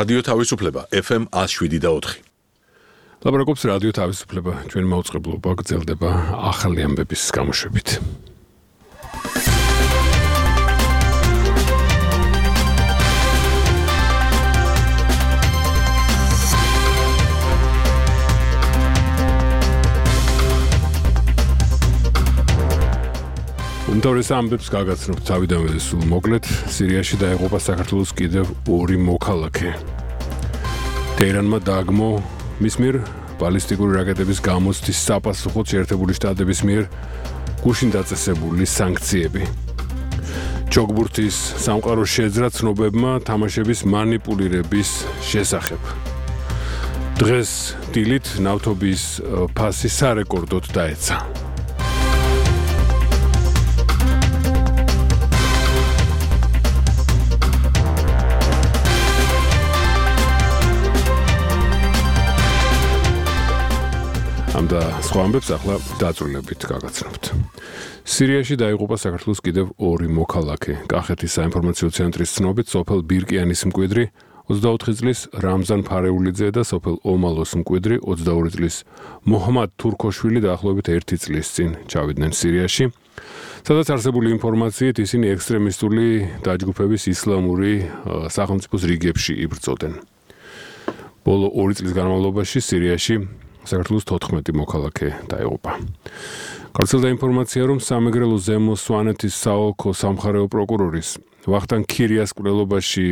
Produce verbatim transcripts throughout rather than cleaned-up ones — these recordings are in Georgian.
რადიო თავისუფლება ეფ ემ one oh seven და four. ლაპარაკობს რადიო თავისუფლება, ჩვენი მაუწყებლობა გრძელდება ახალი ამბების გამოშვებით. უმთავრეს ამბებს გაგაცნობთ თავიდანვე სულ მოკლედ, სირიაში დაეღუპა საქართველოს კიდევ ორი მოქალაქე. ტეირანმა დააგმო მის მიერ ბალისტიკური რაკეტების გამოცდის საპასუხოდ შეერთებული შტატების მიერ გუშინ დაწესებული სანქციები. ჯოგბურთის სამყაროს შეძრა ცნობებმა თამაშების მანიპულირების შესახებ. დღეს დილით ნავთობის ფასი სარეკორდოდ დაეცა. ამ და სხვა ამბებს ახლა დაწვრილებით გაგაცნობთ. სირიაში დაიღუპა საქართველოს კიდევ ორი მოქალაქე. კახეთის საინფორმაციო ცენტრის ცნობით, სოფელ ბირკიანის მკვიდრი ოცდაოთხი წლის რამზან ფარეულიძე და სოფელ ომალოს მკვიდრი ოცდაორი წლის მოჰმად თურქოშვილი დაახლოებით ერთი წლის წინ ჩავიდნენ სირიაში, სადაც არსებული ინფორმაციით ისინი ექსტრემისტული დაჯგუფების ისლამური სახელმწიფოს რიგებში იბრძოდნენ. ბოლო ორი წლის განმავლობაში სირიაში საქართველოს თოთხმეტი მოქალაქე დაიღუპა. გავრცელდა ინფორმაცია, რომ სამეგრელო ზემო სვანეთის საოლქო სამხარეო პროკურორის ვახტანგ ქირიას კვლელობაში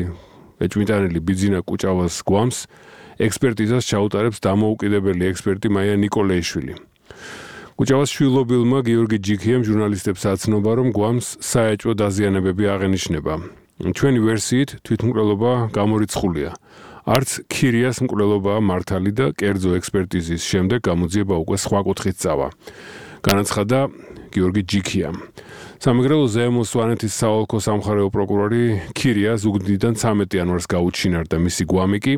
ეჭვმიტანილი ბიძინა კუჭავას გვამს ექსპერტიზას ჩაუტარებს დამოუკიდებელი ექსპერტი მაია ნიკოლეიშვილი. კუჭავას შვილობილმა გიორგი ჯიქიამ ჟურნალისტებს აცნობა, რომ გვამს საეჭვო დაზიანებები აღენიშნება. ჩვენი ვერსიით თვითმკვლელობა გამორიცხულია. არც ქირიას მკვლელობაა მართალი და კერძო ექსპერტიზის შემდეგ გამოძიება უკვე სხვა კუთხით წავა. განაცხადა გიორგი ჯიქიამ. სამეგრელო ზემო სვანეთის საოლქო სამხარეო პროკურორი ქირია ზუგდიდიდან ცამეტი იანვარს გაუჩინარდა, მისი გვამი კი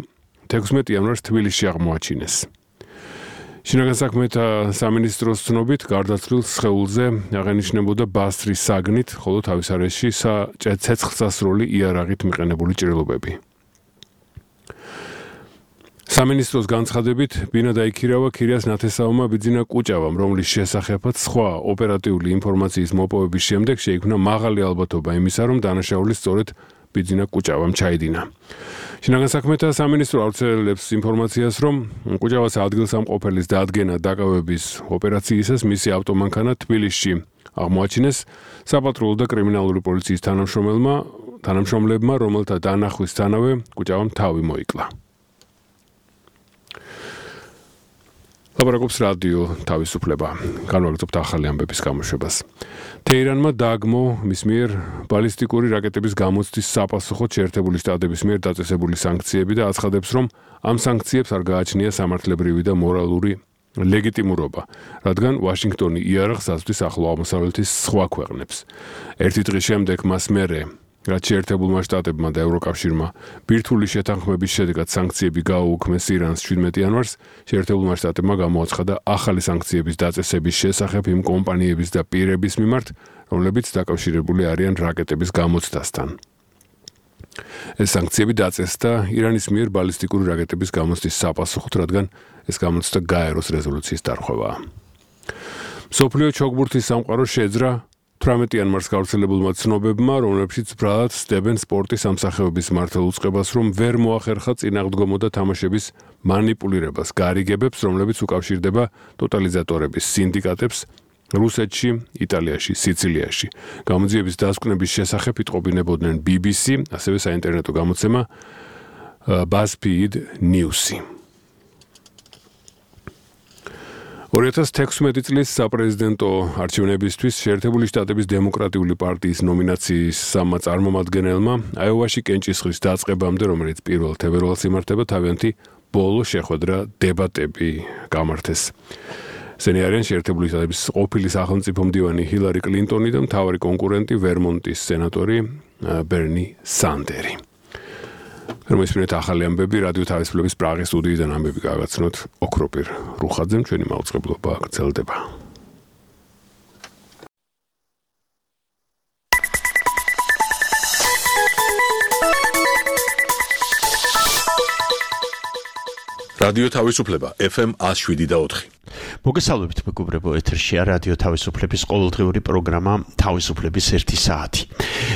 თექვსმეტი იანვარს თბილისში აღმოაჩინეს. შინაგან საქმეთა სამინისტროს ცნობით, გარდაცვლილ სხეულზე აღენიშნებოდა ბასრის საგნით, ხოლო თავის არეში ცეცხლსასროლი იარაღით მიყენებული ჭრილობები. სამინისტროს განცხადებით, ბინა დაიქირავა ქირიას ნათესაურმა ბიძინა კუჭავამ, რომლის შესახებაც სხვა ოპერატიული ინფორმაციის მოპოვების შემდეგ შეიქმნა მაღალი ალბათობა იმისა, რომ დანაშაული სწორედ ბიძინა კუჭავამ ჩაიდინა. შინაგან საქმეთა სამინისტრო ავრცელებს ინფორმაციას, რომ კუჭავას ადგილსამყოფელის დადგენა დაკავების ოპერაციისას მისი ავტომანქანა თბილისში აღმოაჩინეს საპატრულო და კრიმინალური პოლიციის თანამშრომელმა, თანამშრომლებმა, რომელთა დანახვისთანავე კუჭავამ თავი მოიკლა. ლაპარაკობს რადიო თავისუფლება. განვაგრძობთ ახალი ამბების გამოშვებას. ტეირანმა დააგმო მის მიერ ბალისტიკური რაკეტების გამოცდის საპასუხოდ შეერთებული შტატების მიერ დაწესებული სანქციები და აცხადებს, რომ ამ სანქციებს არ გააჩნია სამართლებრივი და მორალური ლეგიტიმურობა, რადგან ვაშინგტონი იარაღს აწვდის ახლო აღმოსავლეთის სხვა ქვეყნებს. ერთი დღის შემდეგ მას მერე რაც შეერთებულმა შტატებმა და ევროკავშირმა ბირთვული შეთანხმების შედეგად სანქციები გააუქმეს ირანს შვიდმეტი იანვარს, შეერთებულმა შტატებმა გამოაცხადა ახალი სანქციების დაწესების შესახებ იმ კომპანიების და პირების მიმართ, რომლებიც დაკავშირებული არიან რაკეტების გამოცდასთან. ეს სანქციები დაწესდა ირანის მიერ ბალისტიკური რაკეტების გამოცდის საპასუხოდ, რადგან ეს გამოცდა გაეროს რეზოლუციის დარღვევაა. მსოფლიო ჩოგბურთის სამყაროს შეძრა თვრამეტი იანვარს გავრცელებულმა ცნობებმა, რომლებშიც ბრალად სდებენ სპორტის სამსახიობის მართალ უწყებას, რომ ვერ მოახერხა წინააღმდგომო და თამაშების მანიპულირებას, გარიგებებს, რომლებიც უკავშირდება ტოტალიზატორების სინდიკატებს რუსეთში, იტალიაში, სიცილიაში. გამოძიების დასკვნების შესახებ იტყობინებოდნენ ბი ბი სი, ასევე საინტერნეტო გამოცემა BuzzFeed News-ი. ორი ათას თექვსმეტი წლის საპრეზიდენტო არჩევნებისთვის შეერთებული შტატების დემოკრატიული პარტიის ნომინაციის სამმა წარმომადგენელმა აიოვაში კენჭისყრის დაწყებამდე, რომელიც პირველ თებერვალს იმართება, თავიანთი ბოლო შეხვედრა დებატები გამართეს. ესენი არიან შეერთებული შტატების ყოფილი სახელმწიფო მდივანი ჰილარი კლინტონი და მთავარი კონკურენტი ვერმონტის სენატორი ბერნი სანდერი. რომისმენთ ახალი ამბები რადიო თავისუფლების პრაღის სტუდიიდან ამბები გაგაცნოთ ოქროპირ რუხაძემ, ჩვენი მაუწყებლობა გრძელდება. რადიო თავისუფლება F M one oh seven point four. მოგესალმებით მეგობრებო, ეთერშია რადიო თავისუფლების ყოველდღიური პროგრამა თავისუფლების ერთი საათი.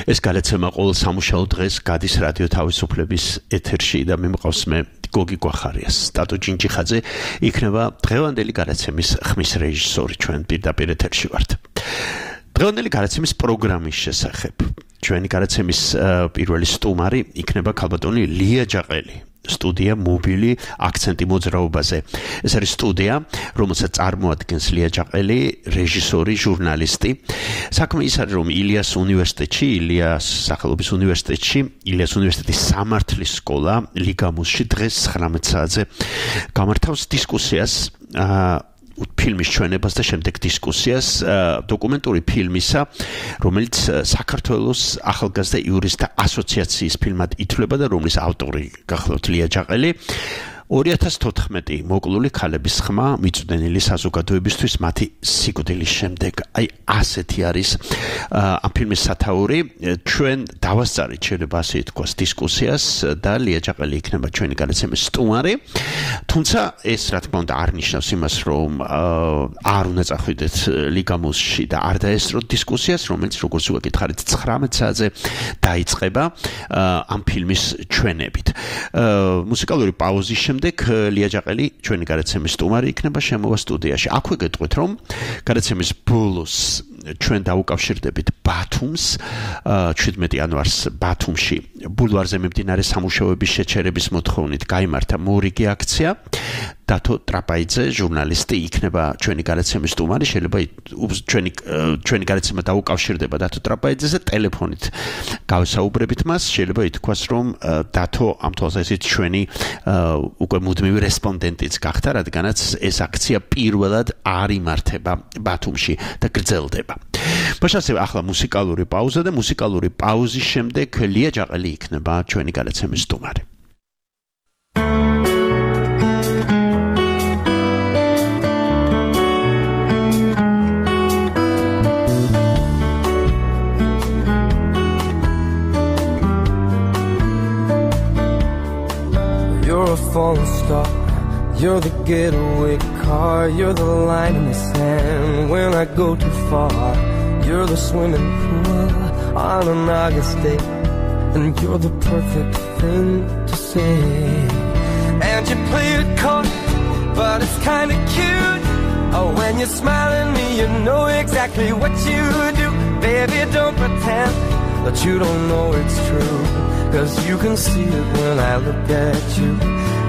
ეს გადაცემა ყოველ სამუშაო დღეს გადის რადიო თავისუფლების ეთერში და მე მყავს მე გოგი გვახარიას. სტატო ჯინჯიხაძე იქნება დღევანდელი გადაცემის ხმის რეჟისორი, ჩვენ პირდაპირ ეთერში ვართ. დღევანდელი გადაცემის პროგრამის შესახებ. ჩვენი გადაცემის პირველი სტუმარი იქნება ქალბატონი ლია ჯაყელი. სტუდია მობილი აქცენტი მოძრაობაზე. ეს არის სტუდია, რომელსაც წარმოადგენს ლია ჯაყელი, რეჟისორი, ჟურნალისტი. საქმე ის არის, რომ ილიას უნივერსიტეტში, ილიას სახელობის უნივერსიტეტში, ილიას უნივერსიტეტის სამართლის სკოლა ლიგამუსში დღეს ცხრამეტ საათზე გამართავს დისკუსიას ფილმის ჩვენებას და შემდეგ დისკუსიას დოკუმენტური ფილმისა, რომელიც საქართველოს ახალგაზრდა იურისტთა ასოციაციის ფილმად ითვლება და რომლის ავტორი გახლავთ ლია ჯაყელი. ორი ათას თოთხმეტი მოკლული ქალების ხმა მიწვდენილი საზოგადოებისთვის მათი სიკვდილის შემდეგ. აი ასეთი არის ამ ფილმის სათაური. ჩვენ დავასწარით, შეიძლება ასე ითქვას, დისკუსიას და ლია ჯაყელი იქნება ჩვენი გადაცემის სტუმარი. თუმცა ეს რა თქმა უნდა არ ნიშნავს იმას, რომ არ უნდა წახვიდეთ ლიგამუსში და არ დაესწროთ დისკუსიას, რომელიც როგორც ვაკითხარით ცხრამეტ საათზე დაიწყება ამ ფილმის ჩვენებით. მუსიკალური პაუზის შემდეგ ლია ჯაყელი ჩვენი გადაცემის სტუმარი იქნება შემოვა სტუდიაში. აქვე გეტყვით, რომ გადაცემის ბოლოს ჩვენ დაუკავშირდებით ბათუმს, შვიდმეტი იანვარს ბათუმში ბულვარზე მიმდინარე სამუშაოების შეჩერების მოთხოვნით გაიმართა მორიგი აქცია. დათო ტრაპაიძე, ჟურნალისტი, იქნება ჩვენი გადაცემის სტუმარი. შეიძლება ჩვენი ჩვენი გადაცემა დაუკავშირდება დათო ტრაპაიძეზე ტელეფონით გავსაუბრებით მას. შეიძლება ითქვას, რომ დათო ამ თვალსაზრისით ჩვენი უკვე მუდმივი რესპონდენტიც გახდა, რადგანაც ეს აქცია პირველად არ იმართება ბათუმში და გრძელდება. ბაშასე ახლა მუსიკალური პაუზა და მუსიკალური პაუზის შემდეგ ლია ჯაყელი იქნება ჩვენი გადაცემის სტუმარი. You're a falling star, you're the getaway car, you're the line in the sand when I go too far. You're the swimming pool on an August day, and you're the perfect thing to say. And you play it cold, but it's kinda cute. Oh, when you smile at me, you know exactly what you do. Baby, don't pretend that you don't know it's true, 'cause you can see it when I look at you.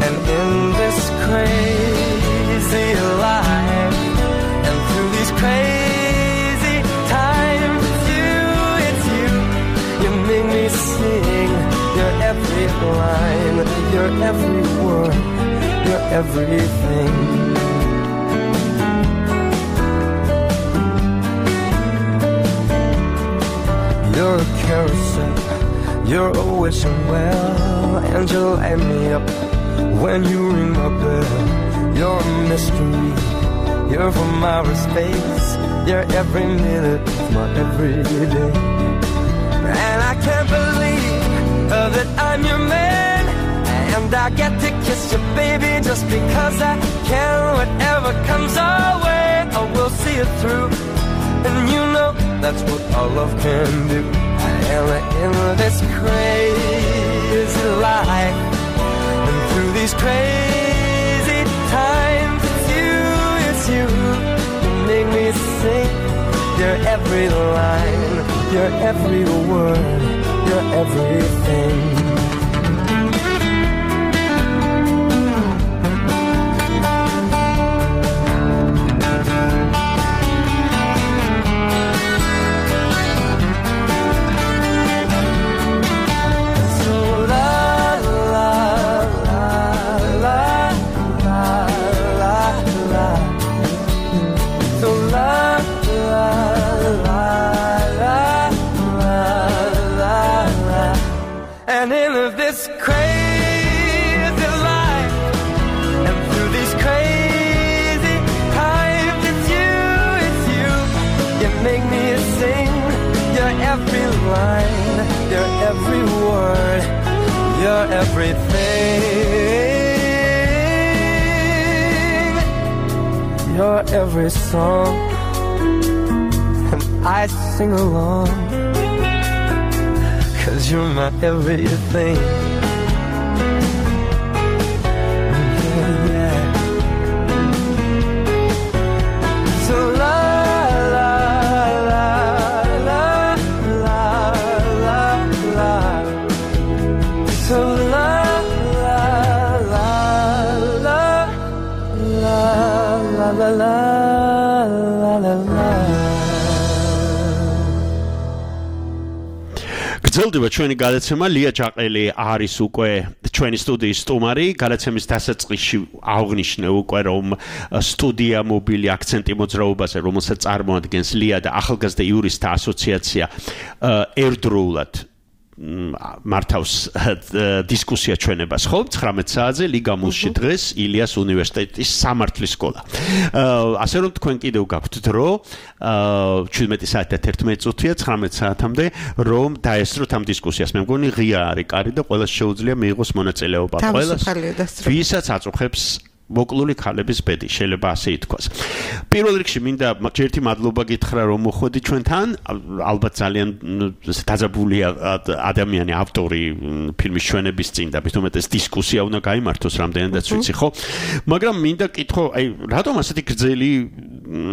And in this crazy life, and through these crazy times, it's you, it's you. You make me sing your every line, your every word, your everything. You're a carousel, you're a wishing well, and you light me up when you ring my bell. You're a mystery, you're from outer space, you're every minute of my everyday. And I can't believe uh, that I'm your man, and I get to kiss you, baby, just because I can. Whatever comes our way, I will see it through. And you know that's what our love can do. And in this crazy life, and through these crazy times, it's you, it's you. You make me sing your every line, your every word, your everything. And in this crazy life, and through these crazy times, it's you, it's you. You make me sing your every line, your every word, your everything. your every song, and I sing along, 'cause you're my everything. Yeah, yeah. So la la la la la la la. So la la la la la la la la la la. გრძელდება ჩვენი გადაცემა. ლია ჯაყელი არის უკვე ჩვენი სტუდიის სტუმარი. გადაცემის დასაწყისში აღნიშნე უკვე რომ სტუდია მობილი აქცენტი მოძრაობაზე, რომელსაც წარმოადგენს ლია და ახალგაზრდა იურისტთა ასოციაცია, ერთდროულად მართავს დისკუსია ჩვენებას ხო ცხრამეტ საათზე ლიგამუსში დღეს ილიას უნივერსიტეტის სამართლის სკოლა. ასე რომ თქვენ კიდევ გაქვთ დრო შვიდმეტი საათი და თერთმეტი წუთია ცხრამეტ საათამდე რომ დაესწროთ ამ დისკუსიას. მე მგონი ღია არის კარი და ყველას შეუძლია მიიღოს მონაწილეობა. ყველას ვისაც აწუხებს მოკლული ქალების ბედი, შეიძლება ასე ითქვას. პირველ რიგში მინდა ერთი მადლობა გითხრა რომ მოხვედი ჩვენთან. ალბათ ძალიან დაძაბულია ადამიანი, ავტორი ფილმის ჩვენების წინ და მithumetes დისკუსია უნდა გაიმართოს რამდენადაც ვიცი ხო? მაგრამ მინდა კითხო, აი რატომ ასეთი გრძელი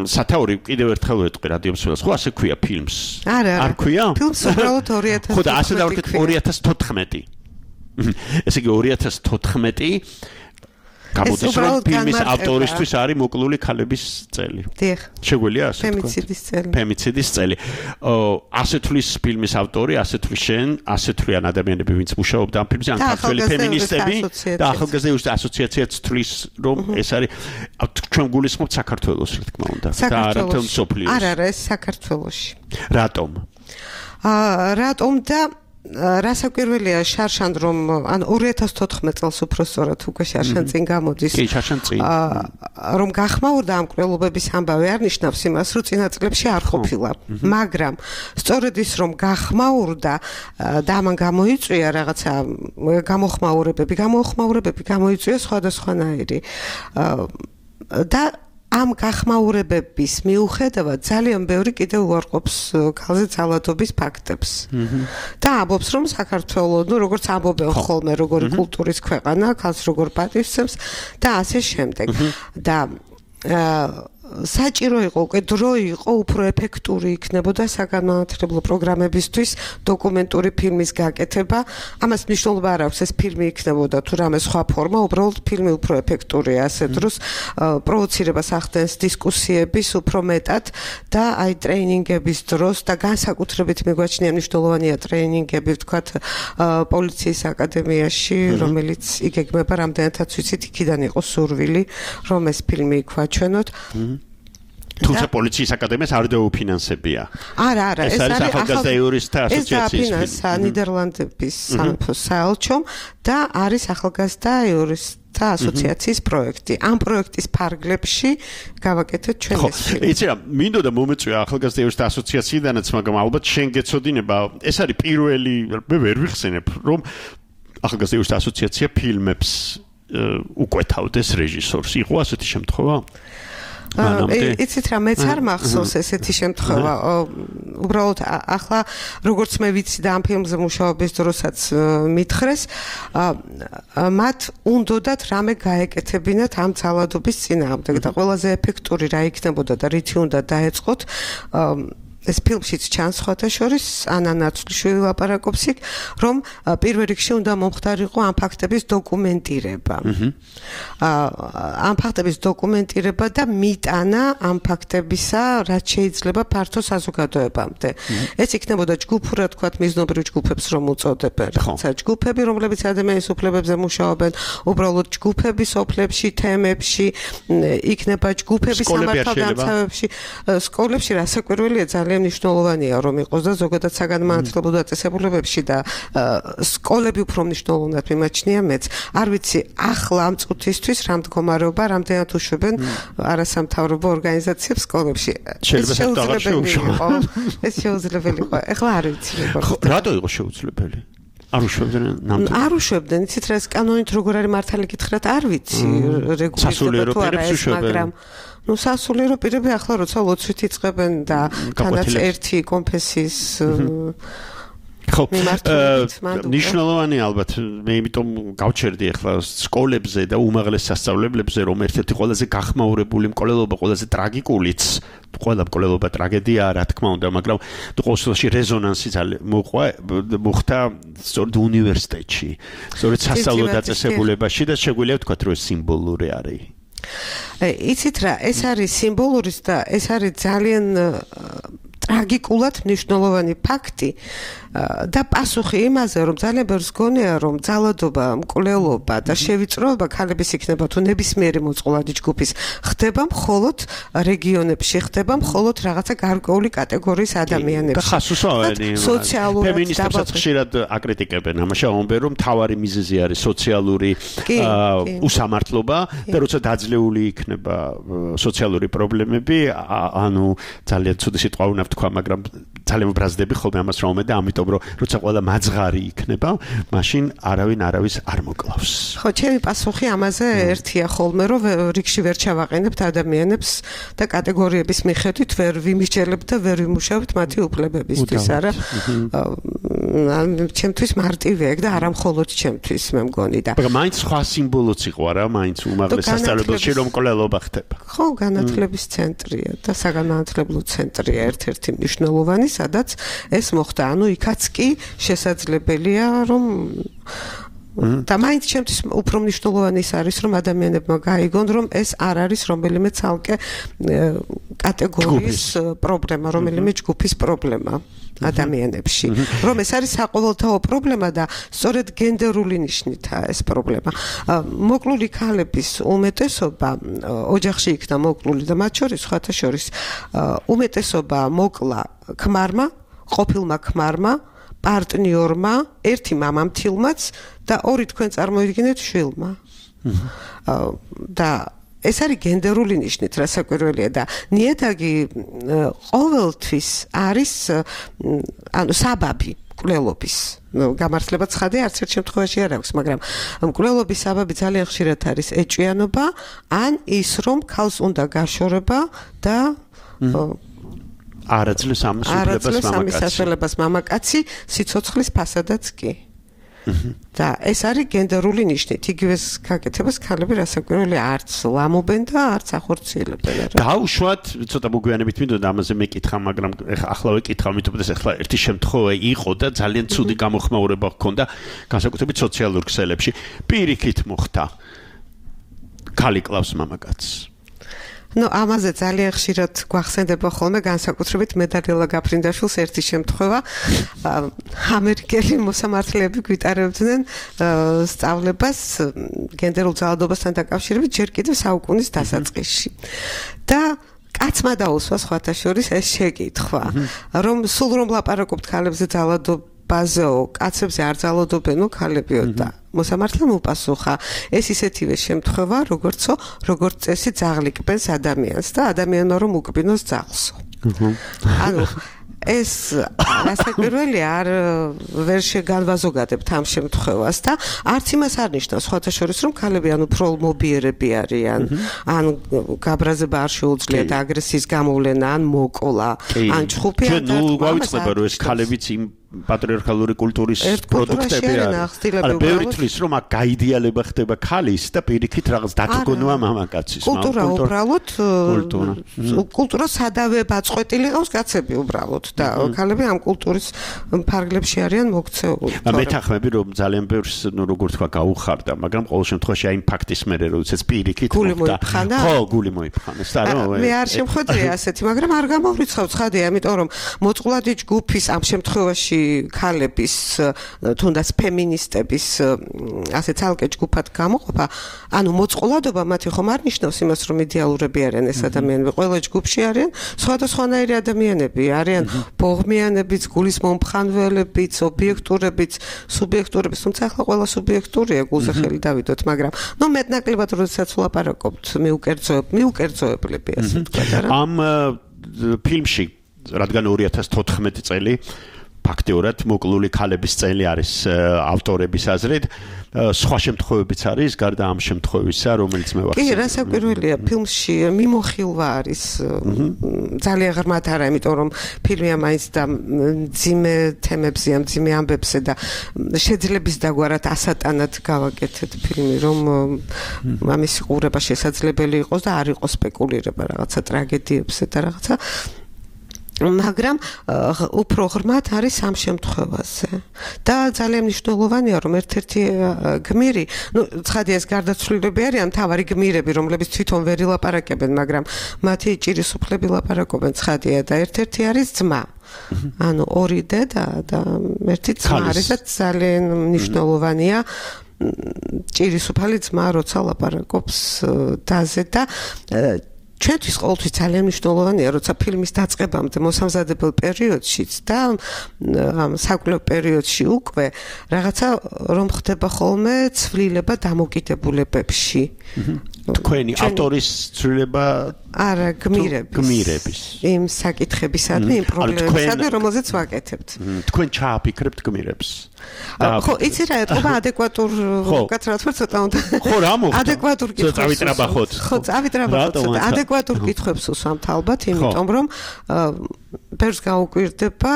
სათაური კიდევ ერთხელ ვეტყვი რადიომსვლელს, ხო ასე ქვია ფილმს? არა, არ ქვია? ფილმს უბრალოდ ორი ათას ხო და ასე დავარქეთ ორი ათას თოთხმეტი. ესე იგი ორი ათას თოთხმეტი გამოდის რომ ფილმის ავტორისთვის არის მოკლული ქალების წელი. დიახ. შეგვიძლია ასე თქვა? ფემიციდის წელი. ფემიციდის წელი. ასე თulis ფილმის ავტორი, ასე თulis შენ, ასე თulis ადამიანები, ვინც მუშაობდა ამ ფილმზე, ან ქართველი ფემინისტები და ახალგაზრდა იურისტთა ასოციაციაც თulis რომ ეს არის ჩვენ გულისხმობთ საქართველოს, რა თქმა უნდა. და არა თელ სოფლიოს. არა, არა, ეს საქართველოში. რატომ? აა რატომ და რასაკვირველია შარშან რომ ან ორი ათას თოთხმეტ წელს უფრო სწორად უკვე შარშან წინ გამოდის. კი, შარშან წინ. რომ გახმაურდა ამ კვლევების ამბავი არ ნიშნავს იმას, რომ წინა წლებში არ ყოფილა. მაგრამ სწორედ ის რომ გახმაურდა და ამან გამოიწვია რაღაცა გამოხმაურებები, გამოხმაურებები გამოიწვია სხვადასხვანაირი. და ამ გახმაურებების მიუხედავად ძალიან ბევრი კიდევ უარყოფს ქალზე ძალადობის ფაქტებს. და ამბობს რომ საქართველოს, ну როგორც ამბობენ ხოლმე, როგორი კულტურის ქვეყანა, ქალს როგორ პატივსცემს და ასე შემდეგ. და საჭირო იყო, უკვე დრო იყო უფრო ეფექტური იქნებოდა საგანმანათლებლო პროგრამებისთვის დოკუმენტური ფილმის გაკეთება. ამას მნიშვნელობა არ აქვს ეს ფილმი იქნებოდა თუ რამე სხვა ფორმა, უბრალოდ ფილმი უფრო ეფექტურია ასე დროს პროვოცირებას ახდენს დისკუსიების უფრო მეტად და აი ტრეინინგების დროს და განსაკუთრებით მიგვაჩნია მნიშვნელოვანია ტრეინინგები ვთქვათ პოლიციის აკადემიაში, რომელიც იგეგმება რამდენადაც ვიცით იქიდან იყო სურვილი რომ ეს ფილმი იქვაჩვენოთ. თუმცა პოლიციის აკადემიას არ დაუფინანსებია. არა, არა, ეს არის ახალგაზრდა იურისტთა ასოციაციის ფილმი. ეს ნიდერლანდების სამეფოს საელჩომ და არის ახალგაზრდა იურისტთა ასოციაციის პროექტი. ამ პროექტის ფარგლებში გავაკეთეთ ჩვენ ეს ფილმი. იცი რა, მინდოდა მომეწვია ახალგაზრდა იურისტთა ასოციაციიდანაც, მაგრამ ალბათ შენ გეცოდინება, ეს არის პირველი, მე ვერ ვიხსენებ, რომ ახალგაზრდა იურისტთა ასოციაცია ფილმებს უკვეთავდეს რეჟისორს. იყო ასეთი შემთხვევა? იცით რა, მეც არ მახსოვს ესეთი შემთხვევა. უბრალოდ ახლა როგორც მე ვიცი და ამ ფილმზე მუშაობის დროსაც მითხრეს, მათ უნდათ რამე გაეკეთებინათ ამ ძალადობის წინააღმდეგ და ყველაზე ეფექტური რა იქნებოდა და რითი უნდა დაეწყოთ. ეს ფილმშიც ჩანს სხვათა შორის ანა ნაცვლიშვილი ლაპარაკობს იქ, რომ პირველ რიგში უნდა მომხდარიყო ამ ფაქტების დოკუმენტირება. ამ ფაქტების დოკუმენტირება და მიტანა ამ ფაქტებისა, რაც შეიძლება ფართო საზოგადოებამდე. ეს იქნებოდა ჯგუფურად თქვათ მიზნობრივ ჯგუფებს რომ უწოდებენ, რაღაცა ჯგუფები, რომლებიც ადამიანის უფლებებზე მუშაობენ, უბრალოდ ჯგუფები სოფლებში, თემებში, იქნება ჯგუფები სამართალდამცავებში, სკოლებში, რასაკვირველია ძალიან მნიშვნელოვანია რომ იყოს და ზოგადად საგანმანათლებლო დაწესებულებებში და სკოლები უფრო მნიშვნელოვნად მიმაჩნია მეც. არ ვიცი ახლა ამ წუთისთვის რა მდგომარეობა, რამდენად უშვებენ არასამთავრობო ორგანიზაციებს სკოლებში. ეს შეუძლებელი იყო. ეს შეუძლებელი იყო. ეხლა არ ვიცი როგორ. რატო იყო შეუძლებელი? არ უშვებდნენ ნამდვილად. არ უშვებდნენ, იცით რა, ეს კანონით როგორ არის მართალი გითხრათ, არ ვიცი რეგულირდება თუ არა ეს, მაგრამ ნუ სასულიერო პირები ახლა როცა ლოცვით იწყებენ და თანაც ერთი კონფესიის ხო, ნიშნულოვანი ალბათ მე იმიტომ გავჩერდი ახლა სკოლებზე და უმაღლეს სასწავლებლებზე რომ ერთ-ერთი ყველაზე გახმაურებული მკვლელობა, ყველაზე ტრაგიკულიც, ყველა მკვლელობა ტრაგედიაა, რა თქმა უნდა, მაგრამ ყოველ შემთხვევაში რეზონანსი მოყვა, მოხდა სწორედ უნივერსიტეტში, სწორედ სასწავლო დაწესებულებაში და შეგვიძლია ვთქვათ, რომ ეს სიმბოლური არის. იცით რა, ეს არის სიმბოლური და ეს არის ძალიან ტრაგიკულად მნიშვნელოვანი ფაქტი და პასუხი იმაზე, რომ ძალიან ბევრს გონია, რომ ძალადობა, მკვლელობა და შევიწროება ქალების იქნება თუ ნებისმიერი მოწყვლადი ჯგუფის ხდება მხოლოდ რეგიონებში, ხდება მხოლოდ რაღაცა გარკვეული კატეგორიის ადამიანებში. და ხასუსავენი სოციალურად ფემინისტებსაც ხშირად აკრიტიკებენ ამაში, ამბობენ, რომ მთავარი მიზეზი არის სოციალური უსამართლობა და როცა დაძლეული იქნება სოციალური პრობლემები, ანუ ძალიან ცუდი სიტყვა უნდა ვთქვა, მაგრამ ძალიან ბრაზდები ხოლმე ამას რომ და ამიტომ რომ როცა ყველა მაძღარი იქნება, მაშინ არავინ არავის არ მოკლავს. ხო, ჩემი პასუხი ამაზე ერთია ხოლმე, რომ რიგში ვერ ჩავაყენებთ ადამიანებს და კატეგორიების მიხედვით ვერ ვიმისჯერებთ და ვერ ვიმუშავებთ მათი უფლებებისთვის, არა? ჩემთვის მარტივია ეგ და არა მხოლოდ ჩემთვის, მე მგონი და. მაგრამ მაინც სხვა სიმბოლოც იყო არა, მაინც უმაღლეს სასწავლებელში რომ მკვლელობა ხდება. ხო, განათლების ცენტრია და საგანმანათლებლო ცენტრია ერთ-ერთი მნიშვნელოვანი, სადაც ეს მოხდა. ანუ იქაც კი შესაძლებელია, რომ და მაინც ჩემთვის უფრო მნიშვნელოვანი ის არის, რომ ადამიანებმა გაიგონ, რომ ეს არ არის რომელიმე ცალკე კატეგორიის პრობლემა, რომელიმე ჯგუფის პრობლემა ადამიანებში. რომ ეს არის საყოველთაო პრობლემა და სწორედ გენდერული ნიშნითაა ეს პრობლემა. მოკლული ქალების უმეტესობა ოჯახში იქნა მოკლული და მათ შორის სხვათა შორის უმეტესობა მოკლა ქმარმა, ყოფილმა ქმარმა, პარტნიორმა, ერთი მამამთილმაც და ორი თქვენ წარმოიდგინეთ შვილმა. და ეს არის გენდერული ნიშნით, რასაკვირველია და ნიადაგი ყოველთვის არის ანუ საბაბი მკვლელობის. გამართლება ცხადია, არც ერთ შემთხვევაში არ აქვს, მაგრამ მკვლელობის საბაბი ძალიან ხშირად არის ეჭვიანობა, ან ის რომ ქალს უნდა გაშორება და არაძლევს ამის სასწავლებას მამაკაცი, სიცოცხლის ფასადაც კი. და ეს არის გენდერული ნიშნით. იგივეს გაკეთებას ქალები რასაკვირველია არც ლამობენ და არც ახორციელებენ. დაუშვათ, ცოტა მოგვიანებით მინდოდა ამაზე მეკითხა, მაგრამ ახლა ვეკითხა, მითუმეტეს ახლა ერთი შემთხვევა იყო და ძალიან ცუდი გამოხმაურება ჰქონდა, განსაკუთრებით სოციალურ ქსელებში. პირიქით მოხდა. ქალი კლავს მამაკაცს. ნუ ამაზე ძალიან ხშირად გვახსენდება ხოლმე განსაკუთრებით მე და ლელა გაფრინდაშვილს ერთი შემთხვევა ამერიკელი მოსამართლეები გვიტარებდნენ სწავლებას გენდერულ ძალადობასთან დაკავშირებით ჯერ კიდევ საუკუნის დასაწყისში და კაცმა დაუსვა სხვათა შორის ეს შეკითხვა რომ სულ რომ ლაპარაკობთ ქალებზე ძალადობაზეო კაცებზე არ ძალადობენო ქალებიო და მოსამართლემ უპასუხა ეს ისეთივე შემთხვევა როგორცო როგორც წესი ძაღლიკბენს ადამიანს და ადამიანმა რომ უკბინოს ძაღლსო ანუ ეს რასაკვირველი არ ვერ შეგანვაზოგადებთ ამ შემთხვევას და არც იმას არ ნიშნავს სხვათა შორის რომ ქალები ან უფრო მობიერები არიან ან გაბრაზება არ შეუძლიათ აგრესიის გამოვლენა ან მოკოლა ან ჩხუფი ან ნუ გავიწყდება რომ ეს ქალებიც იმ პატრიარქალური კულტურის პროდუქტები არის. არა, ბევრი თვლის რომ აქ გაიდეალება ხდება ქალის და პირიქით რაღაც დაგგონვა მამაკაცის. კულტურა უბრალოდ კულტურა სადავე ბაწყვეტილი ყავს კაცები უბრალოდ და ქალები ამ კულტურის ფარგლებში არიან მოქცეული. მეთანხმები რომ ძალიან ბევრს ნუ როგორ თქვა გაუხარდა, მაგრამ ყოველ შემთხვევაში აი იმ ფაქტის მერე როდესაც პირიქით მოხდა. ხო, გული მოიფხანეს და რომ მე არ შემხვედრია ასეთი, მაგრამ არ გამოვრიცხავ ცხადია, იმიტომ რომ მოწყვლადი ჯგუფის ამ შემთხვევაში ქალების თუნდაც ფემინისტების ასე ცალკე ჯგუფად გამოყოფა, ანუ მოწყვლადობა მათი ხომ არ ნიშნავს იმას, რომ იდეალურები არიან ეს ადამიანები, ყველა ჯგუფში არიან სხვადასხვანაირი ადამიანები, არიან ბოღმიანებიც, გულის მომხანველებიც, ობიექტურებიც, სუბიექტურებიც, თუმცა ახლა ყველა სუბიექტურია, გულზე ხელი დავიდოთ, მაგრამ ნუ მეტნაკლებად როდესაც ვლაპარაკობთ, მიუკერძოებ, მიუკერძოებლები ასე ვთქვათ, არა? ამ ფილმში, რადგან ორი ათას თოთხმეტი წელი ფაქტიურად მოკლული ქალების წელი არის ავტორების აზრით სხვა შემთხვევებიც არის გარდა ამ შემთხვევისა რომელიც მე ვახსენე. კი, რასაკვირველია, ფილმში მიმოხილვა არის ძალიან ღრმად არა, იმიტომ რომ ფილმი მაინც და ძიმე თემებზეა, ძიმე ამბებზე და შეძლებს დაგვარად ასატანად გავაკეთეთ ფილმი, რომ ამის ყურება შესაძლებელი იყოს და არ იყოს სპეკულირება რაღაცა ტრაგედიებზე და რაღაცა მაგრამ უფრო ღრმად არის ამ შემთხვევაზე და ძალიან მნიშვნელოვანია რომ ერთ-ერთი გმირი, ну, ცხადია ეს გარდაცვლილები არიან, მთავარი გმირები, რომლებიც თვითონ ვერ ილაპარაკებენ, მაგრამ მათი ჭირისუფლები ლაპარაკობენ, ცხადია და ერთ-ერთი არის ძმა. ანუ ორი დედა და ერთი ძმა არის და ძალიან მნიშვნელოვანია ჭირისუფალი ძმა, როცა ლაპარაკობს დაზე და ჩვენთვის ყოველთვის ძალიან მნიშვნელოვანია, როცა ფილმის დაწყებამდე მოსამზადებელ პერიოდშიც და ამ საკვლევ პერიოდში უკვე რაღაცა რომ ხდება ხოლმე ცვლილება დამოკიდებულებებში. თქვენი ავტორის ცვლილება არა გმირების გმირების იმ საკითხებისადმი, იმ პრობლემებისადმი, რომელზეც ვაკეთებთ. თქვენ ჩააფიქრებთ გმირებს. ხო, იცი რა, ეთყობა ადეკვატურ კაცრად ვარ ცოტა უნდა. ხო, რა მოხდა? ადეკვატურ კითხვებს. წავიტრაბახოთ. ხო, წავიტრაბახოთ. ადეკვატურ კითხვებს უსვამთ ალბათ, იმიტომ რომ ბევრს გაუკვირდება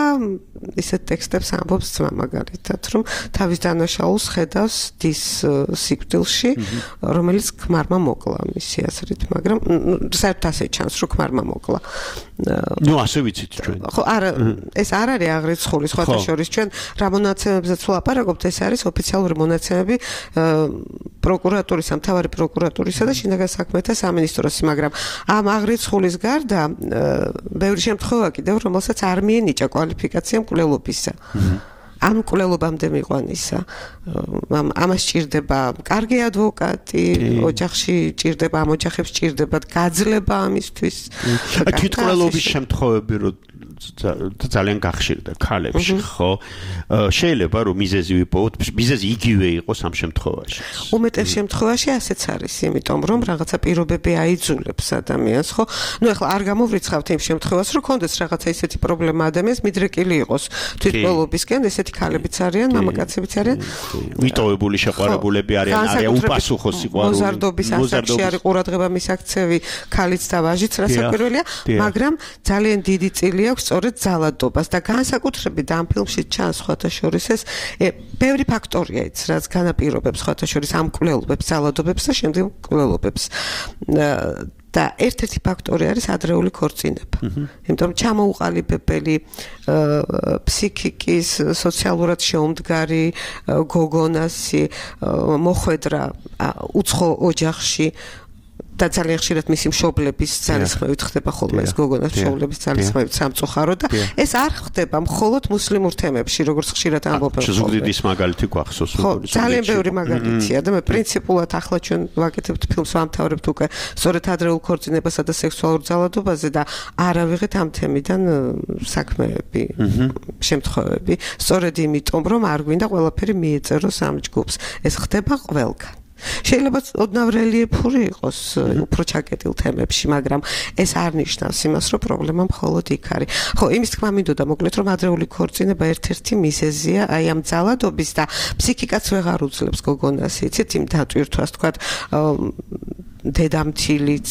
ისეთ ტექსტებს ამბობს ძმა მაგალითად, რომ თავის დანაშაულს ხედავს დის სიკვდილში, რომელიც ქმარმა მოკლა მისი აზრით, მაგრამ საერთოდ ასე ჩანს, რომ ქმარმა მოკლა. ნუ ასე ვიცით ჩვენ. ხო, არა, ეს არ არის აღრიცხული სხვათა შორის, ჩვენ რა მონაცემებზეც ვლაპარაკობთ, ეს არის ოფიციალური მონაცემები პროკურატურისა, მთავარი პროკურატურისა და შინაგან საქმეთა სამინისტროსი, მაგრამ ამ აღრიცხულის გარდა ბევრი შემთხვევა კიდევ, რომელსაც არ მიენიჭა კვალიფიკაცია მკვლელობისა. ამ მკვლელობამდე მიყვანისა. ამას ჭირდება კარგი ადვოკატი, ოჯახში ჭირდება, ამ ოჯახებს ჭირდება გაძლება ამისთვის. თვითმკვლელობის შემთხვევები რო ძალიან გახშირდა ქალებში, ხო? შეიძლება რომ მიზეზი ვიპოვოთ, მიზეზი იგივე იყოს ამ შემთხვევაში. უმეტეს შემთხვევაში ასეც არის, იმიტომ რომ რაღაცა პირობები აიძულებს ადამიანს, ხო? ნუ ეხლა არ გამოვრიცხავთ იმ შემთხვევას, რომ კონდეს რაღაცა ისეთი პრობლემა ადამიანს მიდრეკილი იყოს თვითმკვლელობისკენ, ესეთი ქალებიც არიან, მამაკაცებიც არიან. ვიტოვებული შეყვარებულები არიან, არიან უპასუხო სიყვარული. მოზარდობის ასაკში არის ყურადღება მისაქცევი ქალიც და ვაჟიც, რასაკვირველია, მაგრამ ძალიან დიდი წილი აქვს სწორედ ძალადობას და განსაკუთრებით ამ ფილმში ჩანს სხვათა შორის ეს ბევრი ფაქტორია ის, რაც განაპირობებს სხვათა შორის ამ მკვლელობებს, ძალადობებს და შემდეგ მკვლელობებს. და ერთ-ერთი ფაქტორი არის ადრეული ქორწინება. იმიტომ რომ ჩამოუყალიბებელი ფსიქიკის, სოციალურად შეუმდგარი გოგონასი მოხვედრა უცხო ოჯახში და ძალიან ხშირად მისი მშობლების ძალისხმევით ხდება ხოლმე ეს გოგონას მშობლების ძალისხმევით სამწუხარო და ეს არ ხდება მხოლოდ მუსლიმურ თემებში, როგორც ხშირად ამბობენ. ზუგდიდის მაგალითი გვახსოვს. ხო, ძალიან ბევრი მაგალითია და მე პრინციპულად ახლა ჩვენ ვაკეთებთ ფილმს, ვამთავრებთ უკვე სწორედ ადრეულ ქორწინებასა და სექსუალურ ძალადობაზე და არ ავიღეთ ამ თემიდან საქმეები, შემთხვევები. სწორედ იმიტომ, რომ არ გვინდა ყველაფერი მიეწეროს ამ ჯგუფს. ეს ხდება ყველგან. შეიძლება ოდნავ რელიეფური იყოს უფრო ჩაკეტილ თემებში, მაგრამ ეს არ ნიშნავს იმას, რომ პრობლემა მხოლოდ იქ არის. ხო, იმის თქმა მინდოდა მოკლედ, რომ ადრეული ქორწინება ერთ-ერთი მიზეზია აი ამ ძალადობის და ფსიქიკაც ვეღარ უძლებს გოგონას, იცით, იმ დატვირთვას, თქვათ, დედამთილიც,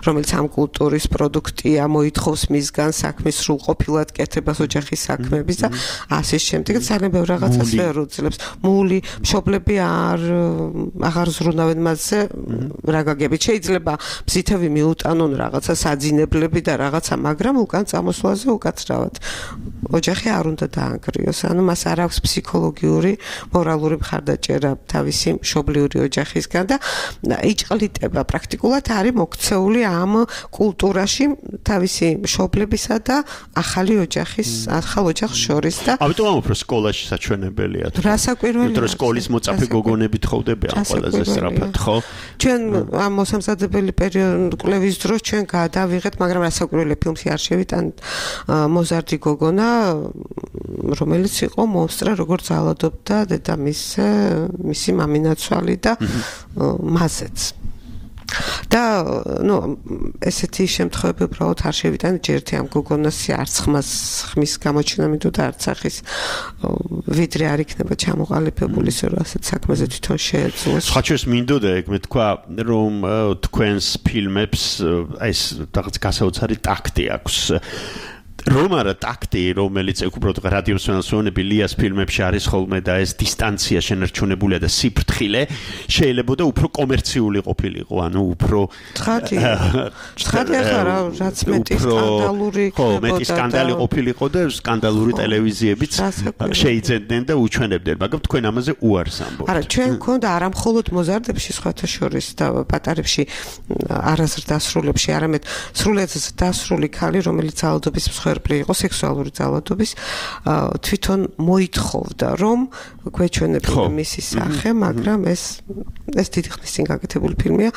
რომელიც ამ კულტურის პროდუქტია, მოითხოვს მისგან საქმის სრულყოფილად კეთებას ოჯახის საქმეების და ასე შემდეგ. ძალიან ბევრ რაღაცას ვერ უძლებს. მული, მშობლები არ აღარ ზრუნავენ მასზე რა გაგებით. შეიძლება ბზითები მიუტანონ რაღაცა საძინებლები და რაღაცა, მაგრამ უკან წამოსვლაზე უკაცრავად ოჯახი არ უნდა დაანგრიოს. ანუ მას არ აქვს ფსიქოლოგიური, მორალური მხარდაჭერა თავისი მშობლიური ოჯახისგან და იჭყლიტება პრაქტიკულად არის მოქცეული ამ კულტურაში თავისი მშობლებისა და ახალი ოჯახის, ახალ ოჯახს შორის და ამიტომ ამ უფრო სკოლაში საჩვენებელია. რასაკვირველია. იმიტომ რომ სკოლის მოწაფე გოგონები თხოვდებიან ყველაზე სწრაფად, ხო? ჩვენ ამ მოსამზადებელი პერიოდი კვლევის დროს ჩვენ გადავიღეთ, მაგრამ რასაკვირველია ფილმში არ შევიტანთ მოზარდი გოგონა, რომელიც იყო მონსტრა, როგორც ძალადობდა დედამისზე, მისი მამინაცვალი და მასეც. და ნუ ესეთი შემთხვევები უბრალოდ არ შევიტანეთ ჯერთი ამ გოგონასი არც ხმას ხმის გამოჩენა მინდოდა არც ახის ვიდრე არ იქნება ჩამოყალიბებული ისე რომ ასეთ საქმეზე თვითონ შეეძლოს. ხაჩოს მინდოდა ეგ მე თქვა რომ თქვენს ფილმებს ეს რაღაც გასაოცარი ტაქტი აქვს. რომ არა ტაქტი, რომელიც უბრალოდ რადიომსვენელსვენები ლიას ფილმებში არის ხოლმე და ეს დისტანცია შენარჩუნებულია და სიფრთხილე შეიძლება და უფრო კომერციული ყოფილიყო, ანუ უფრო ცხადი. ცხადი ახლა რაც მეტი სკანდალური ხო, მეტი სკანდალი ყოფილიყო და სკანდალური ტელევიზიებიც შეიძენდნენ და უჩვენებდნენ, მაგრამ თქვენ ამაზე უარს ამბობთ. არა, ჩვენ გვქონდა არა მხოლოდ მოზარდებში სხვათა შორის და პატარებში არაზრდასრულებში, არამედ სრულიად დასრული ქალი, რომელიც ძალადობის მსხვერპლი იყო სექსუალური ძალადობის, თვითონ მოითხოვდა, რომ გვეჩვენებინა მისი სახე, მაგრამ ეს ეს დიდი ხნის წინ გაკეთებული ფილმია,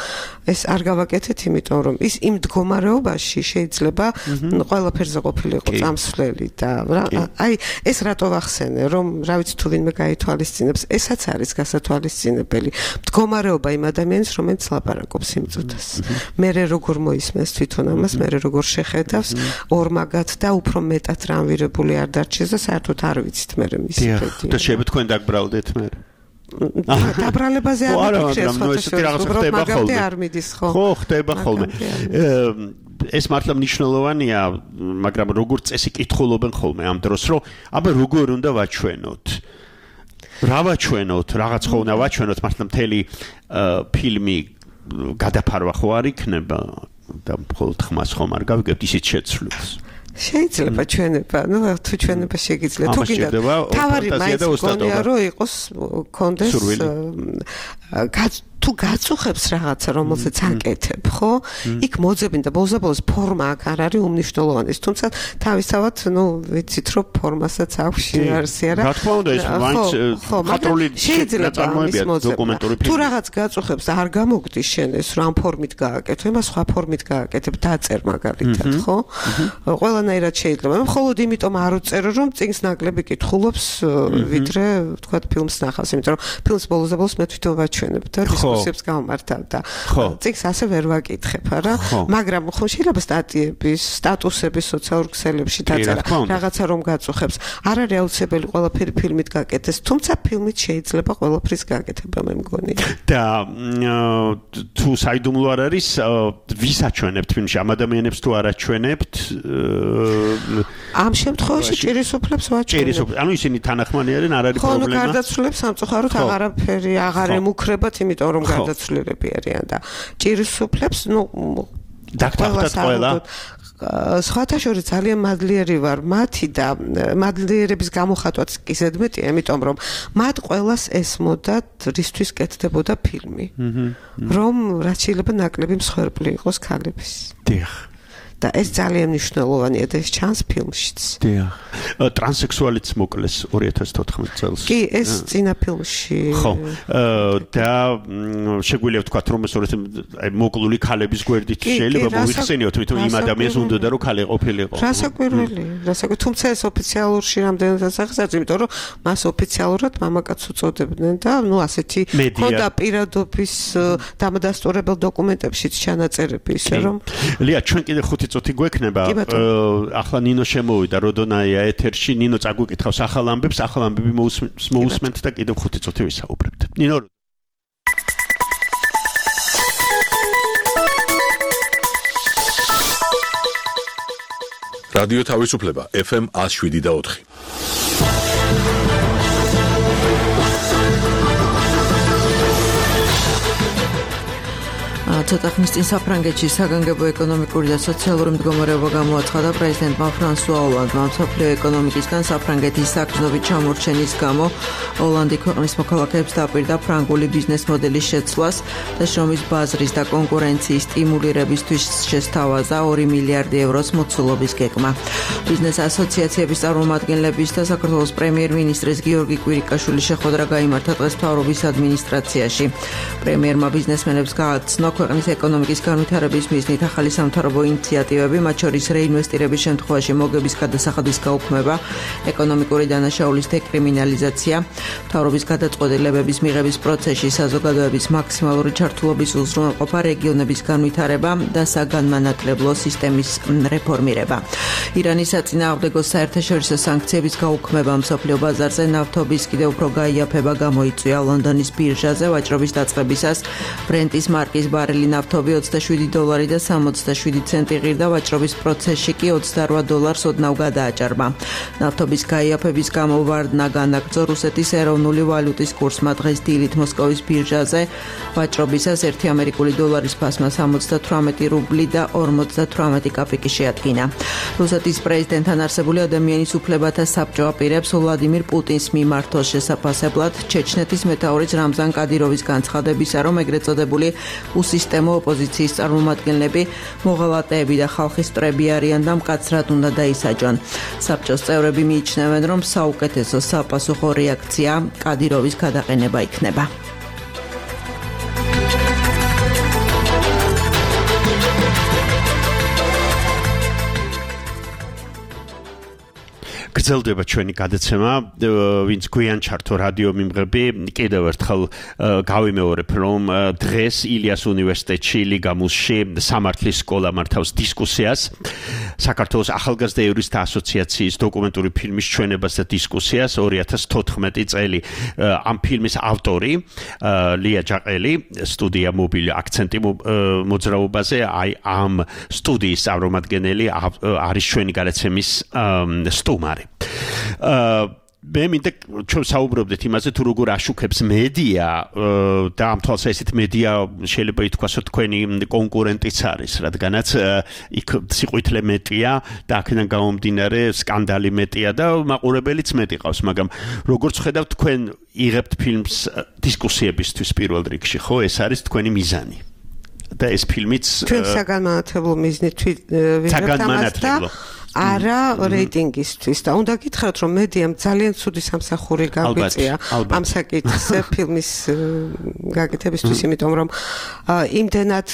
ეს არ გავაკეთეთ, იმიტომ რომ ის იმ მდგომარეობაში შეიძლება ყველაფერზე ყოფილიყო წამსვლელი და აი ეს რატო ვახსენე, რომ რა ვიცი თუ ვინმე გაითვალისწინებს, ესაც არის გასათვალისწინებელი მდგომარეობა იმ ადამიანის, რომელიც ლაპარაკობს იმ წუთას. მერე როგორ მოისმენს თვითონ ამას, მერე როგორ შეხედავს ორმაგად და უფრო მეტად რამვირებული არ დარჩეს და საერთოდ არ ვიცით მე მისი ფედი. და შეიძლება თქვენ დაგბრალდეთ მე. დაბრალებაზე არ მიფიქრე სხვა მაგამდე არ მიდის ხო? ხო, ხდება ხოლმე. ეს მართლა მნიშვნელოვანია, მაგრამ როგორ წესი კითხულობენ ხოლმე ამ დროს, რომ აბა როგორ უნდა ვაჩვენოთ? რა ვაჩვენოთ? რაღაც ხო უნდა ვაჩვენოთ, მართლა მთელი ფილმი გადაფარვა ხო არ იქნება და მხოლოდ ხმას ხომ არ გავიგებთ ისიც შეცვლილს. შეიძლება ჩვენება, ну, თუ ჩვენება შეგიძლია, თუ კიდე თავარი მაინც გონია რომ იყოს კონდეს თუ გაწუხებს რაღაცა, რომელზეც აკეთებ, ხო? იქ მოძებინ და ბოლოს ფორმა აქ არ არის უმნიშვნელოვანი. თუმცა თავისთავად, ну, ვიცით რომ ფორმასაც აქვს შინაარსი, არა? რა თქმა უნდა, ეს მაინც ხატრული წარმოებია დოკუმენტური ფილმი. თუ რაღაც გაწუხებს და არ გამოგდის შენ ეს რომ ამ ფორმით გააკეთო, იმას სხვა ფორმით გააკეთებ, დაწერ მაგალითად, ხო? ყველანაირად შეიძლება. მე მხოლოდ იმიტომ არ უწერო, რომ წინს ნაკლები კითხულობს, ვიდრე, თქვა, ფილმს ნახავს, იმიტომ რომ ფილმს ბოლოს და ბოლოს მე თვითონ ვაჩვენებ და დისკუსიებს გავმართავ და წიგნს ასე ვერ ვაკითხებ, არა? მაგრამ ხო შეიძლება სტატიების, სტატუსების სოციალურ ქსელებში დაწერა, რაღაცა რომ გაწუხებს. არ არის აუცილებელი ყველაფერი ფილმით გაკეთდეს, თუმცა ფილმით შეიძლება ყველაფრის გაკეთება, მე მგონი. და თუ საიდუმლო არ არის, ვის აჩვენებთ ფილმში? ამ ადამიანებს თუ არ აჩვენებთ? ამ შემთხვევაში ჭირისუფლებს ვაჩვენებ. ანუ ისინი თანახმანი არიან, არ არის პრობლემა. ხო, გარდაცვლილებს სამწუხაროდ აღარაფერი აღარ ემუქრებათ, იმიტომ რომ გარდაცვლილები არიან და ჭირისუფლებს, ну, დაგტახტათ ყველა. სხვათა შორის ძალიან მადლიერი ვარ მათი და მადლიერების გამოხატვაც კი ზედმეტია, იმიტომ რომ მათ ყველას ესმოდათ რისთვის კეთდებოდა ფილმი. რომ რაც შეიძლება ნაკლები მსხვერპლი იყოს ქალების. დიახ. და ეს ძალიან მნიშვნელოვანია და ეს ჩანს ფილმშიც. დიახ. ტრანსექსუალიც მოკლეს ორი ათას თოთხმეტ წელს. კი, ეს წინა ფილმში. ხო. და შეგვიძლია ვთქვათ, რომ ეს აი მოკლული ქალების გვერდით შეიძლება მოიხსენიოთ, თვითონ იმ ადამიანს უნდოდა რომ ქალი ყოფილიყო. რასაკვირველი, რასაკვირველი, თუმცა ეს ოფიციალურში რამდენადაც აღსაძ, იმიტომ რომ მას ოფიციალურად მამაკაც უწოდებდნენ და ნუ ასეთი ხოდა პირადობის დამადასტურებელ დოკუმენტებშიც ჩანაწერები ისე რომ. ლია, ჩვენ კიდე ხუთი წუთი გვექნება. ახლა ნინო შემოვიდა როდონაია ეთერში, ნინო წაგვიკითხავს ახალ ამბებს, ახალ ამბები მოусმენთ და კიდევ ხუთი წუთი ვისაუბრებთ. ნინო რადიო თავისუფლება ეფ ემ one oh seven და four. ცოტა ხნის წინ საფრანგეთში საგანგებო ეკონომიკური და სოციალური მდგომარეობა გამოაცხადა პრეზიდენტმა ფრანსუა ოლანდმა. მსოფლიო ეკონომიკისგან საფრანგეთის საგრძნობი ჩამორჩენის გამო ოლანდი ქვეყნის მოქალაქეებს დაპირდა ფრანგული ბიზნეს მოდელის შეცვლას და შრომის ბაზრის და კონკურენციის სტიმულირებისთვის შესთავაზა ორი მილიარდი ევროს მოცულობის გეგმა. ბიზნეს ასოციაციების წარმომადგენლების და საქართველოს პრემიერ-მინისტრის გიორგი კვირიკაშვილის შეხვედრა გაიმართა დღეს მთავრობის ადმინისტრაციაში. პრემიერმა ბიზნესმენებს გააცნო ქვეყნის ეკონომიკის განვითარების მიზნით ახალი სამთავრობო ინიციატივები, მათ შორის რეინვესტირების შემთხვევაში მოგების გადასახადის გაუქმება, ეკონომიკური დანაშაულის დეკრიმინალიზაცია, მთავრობის გადაწყვეტილებების მიღების პროცესში საზოგადოების მაქსიმალური ჩართულობის უზრუნველყოფა, რეგიონების განვითარება და საგანმანათლებლო სისტემის რეფორმირება. ირანის საწინააღმდეგო საერთაშორისო სანქციების გაუქმება, მსოფლიო ბაზარზე ნავთობის კიდევ უფრო გაიაფება გამოიწვია ლონდონის ბირჟაზე ვაჭრობის დაწყებისას ბრენტის მარკის ბარელი ნავთობი ოცდაშვიდი დოლარი და სამოცდაშვიდი ცენტი ღირდა, ვაჭრობის პროცესში კი ოცდაორ დოლარს ოდნავ გადააჭარბა. ნავთობის გაიაფების გამო ვარდნა განაგრძო რუსეთის ეროვნული ვალუტის კურსმა დღეს დილით მოსკოვის ბირჟაზე ვაჭრობისას ერთი ამერიკული დოლარის ფასმა სამოცდათვრამეტი რუბლი და ორმოცდათვრამეტი კაპიკი შეადგინა. რუსეთის პრეზიდენტთან არსებული ადამიანის უფლებათა საბჭო აპირებს ვლადიმირ პუტინს მიმართოს შესაფასებლად ჩეჩნეთის მეთაურის რამზან კადიროვის განცხადებისა, რომ ეგრეთ წოდებული უსისტემო ოპოზიციის წარმომადგენლები მოღალატეები და ხალხის მტრები არიან და მკაცრად უნდა დაისაჯონ. საბჭოს წევრები მიიჩნევენ, რომ საუკეთესო საპასუხო რეაქცია კადიროვის გადაყენება იქნება. გრძელდება ჩვენი გადაცემა, ვინც გვიან ჩართო რადიო მიმღები, კიდევ ერთხელ გავიმეორებ, რომ დღეს ილიას უნივერსიტეტში ლიგამუსში სამართლის სკოლა მართავს დისკუსიას საქართველოს ახალგაზრდა იურისტთა ასოციაციის დოკუმენტური ფილმის ჩვენებას და დისკუსიას ორი ათას თოთხმეტი წელი. ამ ფილმის ავტორი ლია ჯაყელი, სტუდია მობილი აქცენტი მოძრაობაზე, აი ამ სტუდიის წარმომადგენელი არის ჩვენი გადაცემის სტუმარი. მე მინდა ჩვენ საუბრობდეთ იმაზე, თუ როგორ აშუქებს მედია და ამ თვალსაზრისით მედია შეიძლება ითქვას, რომ თქვენი კონკურენტიც არის, რადგანაც იქ სიყვითლე მეტია და აქედან გამომდინარე სკანდალი მეტია და მაყურებელიც მეტი ყავს, მაგრამ როგორც ხედავთ, თქვენ იღებთ ფილმს დისკუსიებისთვის პირველ რიგში, ხო? ეს არის თქვენი მიზანი. და ეს ფილმიც ჩვენ საგანმანათლებლო მიზნით ვიღებთ ამას და არა რეიტინგისთვის და უნდა გითხრათ, რომ მედიამ ძალიან ცუდი სამსახური გაგვიწია ამ საკითხზე ფილმის გაკეთებისთვის, იმიტომ რომ იმდენად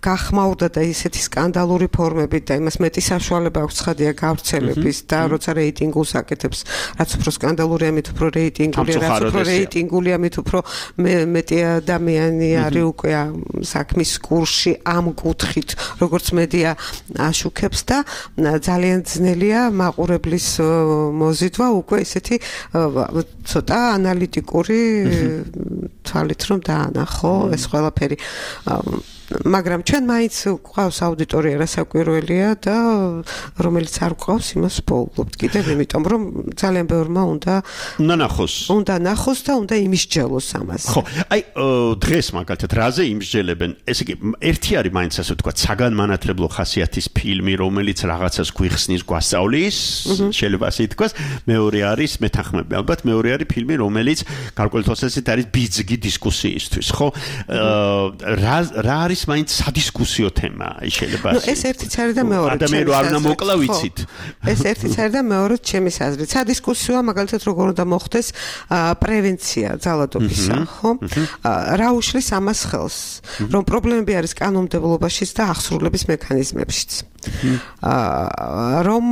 გახმაურდა და ისეთი სკანდალური ფორმებით და იმას მეტი საშუალება აქვს ცხადია გავრცელების და როცა რეიტინგულს აკეთებს, რაც უფრო სკანდალურია, მით უფრო რეიტინგულია, რაც უფრო რეიტინგულია, მით უფრო მეტი ადამიანი არის უკვე საქმის კურსში ამ კუთხით, როგორც მედია აშუქებს და ძალიან ძნელია მაყურებლის მოზიდვა უკვე ესეთი ცოტა ანალიტიკური თვალით რომ დაანახო ეს ყველაფერი. მაგრამ ჩვენ მაინც გვყავს აუდიტორია რასაკვირველია და რომელიც არ გვყავს იმას ვპოულობთ კიდევ, იმიტომ რომ ძალიან ბევრმა უნდა უნდა ნახოს. უნდა ნახოს და უნდა იმისჯელოს ამას. ხო, აი დღეს მაგალითად რაზე იმსჯელებენ? ესე იგი, ერთი არის მაინც ასე ვთქვათ, საგანმანათლებლო ხასიათის ფილმი, რომელიც რაღაცას გვიხსნის, გვასწავლის, შეიძლება ასე ითქვას. მეორე არის მეთანხმები, ალბათ მეორე არის ფილმი, რომელიც გარკვეულ თვალსაზრისით არის ბიძგი დისკუსიისთვის, ხო? რა რა არის მაინც სადისკუსიო თემა, შეიძლება. ნუ ეს ერთიც არის და მეორე. ადამიანი არ უნდა მოკლა ვიცით. ეს ერთიც არის და მეორე ჩემის აზრით. სადისკუსიოა მაგალითად როგორ უნდა მოხდეს პრევენცია ძალადობისა, ხო? რა უშლის ამას ხელს? რომ პრობლემები არის კანონმდებლობაშიც და აღსრულების მექანიზმებშიც. რომ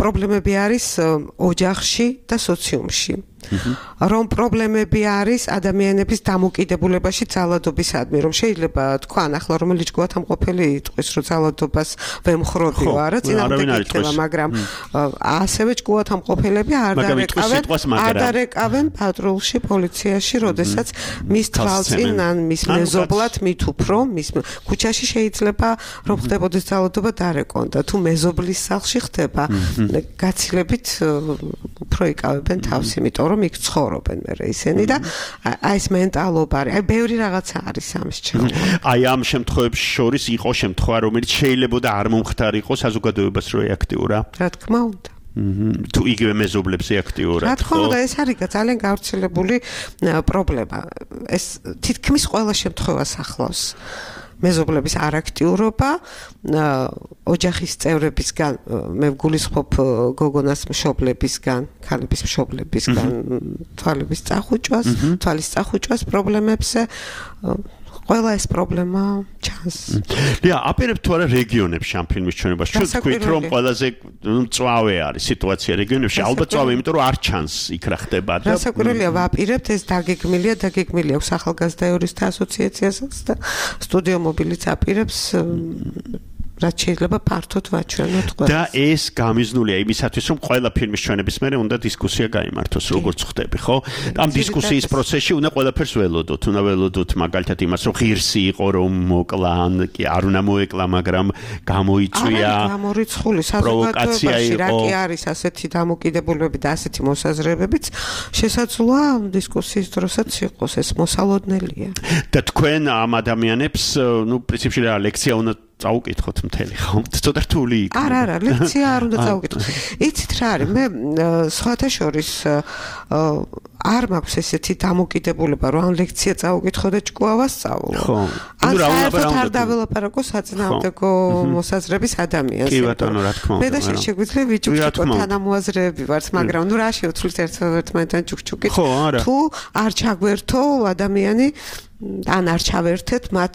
პრობლემები არის ოჯახში და სოციუმში. რომ პრობლემები არის ადამიანების დამოკიდებულებაში ძალადობისადმი, რომ შეიძლება თქვან ახლა რომელიც გვათამყოფელი იტყვის, რომ ძალადობას ვემხრობიო, არა წინამდე გიქნება, მაგრამ ასევე ჭკუათამყოფელები არ დარეკავენ, არ დარეკავენ პატრულში, პოლიციაში, როდესაც მის თვალწინ ან მის მეზობლად მით უფრო, მის ქუჩაში შეიძლება რომ ხდებოდეს ძალადობა დარეკონ და თუ მეზობლის სახლში ხდება, გაცილებით უფრო იკავებენ თავს, იმიტომ რომ იქ ცხოვრობენ მე ისინი და აი ეს მენტალობა არის. აი ბევრი რაღაცა არის ამის ჩემო. აი ამ შემთხვევებში შორის იყო შემთხვევა, რომელიც შეიძლება და არ მომხდარიყო საზოგადოებას რო აქტიურა. რა თქმა უნდა. თუ იგივე მეზობლებს აქტიურად. რა თქმა უნდა, ეს არის ძალიან გავრცელებული პრობლემა. ეს თითქმის ყველა შემთხვევას ახლავს. მეზობლების არაქტიურობა, ოჯახის წევრებისგან, მე ვგულისხმობ გოგონას მშობლებისგან, ქალების მშობლებისგან, თვალების წახუჭვას, თვალის წახუჭვას პრობლემებზე, ყველა ეს პრობლემა ჩანს. ლია, აპირებ თუ არა რეგიონებში ამ ფილმის ჩვენებას? ჩვენ თქვით რომ ყველაზე მწვავე არის სიტუაცია რეგიონებში, ალბათ წვავე, იმიტომ რომ არ ჩანს იქ რა ხდება და რასაკვირველია, ვაპირებთ, ეს დაგეგმილია, დაგეგმილი აქვს ახალგაზრდა იურისტთა ასოციაციასაც და სტუდიო მობილიც აპირებს რაც შეიძლება ფართოდ ვაჩვენოთ ყველას. და ეს გამიზნულია იმისათვის, რომ ყველა ფილმის ჩვენების მერე უნდა დისკუსია გაიმართოს, როგორც ხდები, ხო? ამ დისკუსიის პროცესში უნდა ყველაფერს ველოდოთ, უნდა ველოდოთ მაგალითად იმას, რომ ღირსი იყო, რომ მოკლა, ან კი არ უნდა მოეკლა, მაგრამ გამოიწვია. არა, გამორიცხული საზოგადოებაში რა კი არის ასეთი დამოკიდებულებები და ასეთი მოსაზრებებიც შესაძლოა დისკუსიის დროსაც იყოს, ეს მოსალოდნელია. და თქვენ ამ ადამიანებს, ну, პრინციპში რა ლექცია უნდა წაუკითხოთ მთელი ხო? ცოტა რთული იქნება. არა, არა, ლექცია არ უნდა წაუკითხოთ. იცით რა არის? მე სხვათა შორის არ მაქვს ესეთი დამოკიდებულება, რომ ამ ლექცია წაუკითხო და ჭკუა ვასწავლო. ხო. ან საერთოდ არ დაველაპარაკო საწინააღმდეგო მოსაზრების ადამიანს. კი ბატონო, რა თქმა უნდა. მე და შეგვიძლია ვიჭუქჭუკო თანამოაზრეები ვართ, მაგრამ ნუ რა შევცვლით ერთმანეთთან ჭუქჭუკით. თუ არ ჩაგვერთო ადამიანი ან არ ჩავერთეთ მათ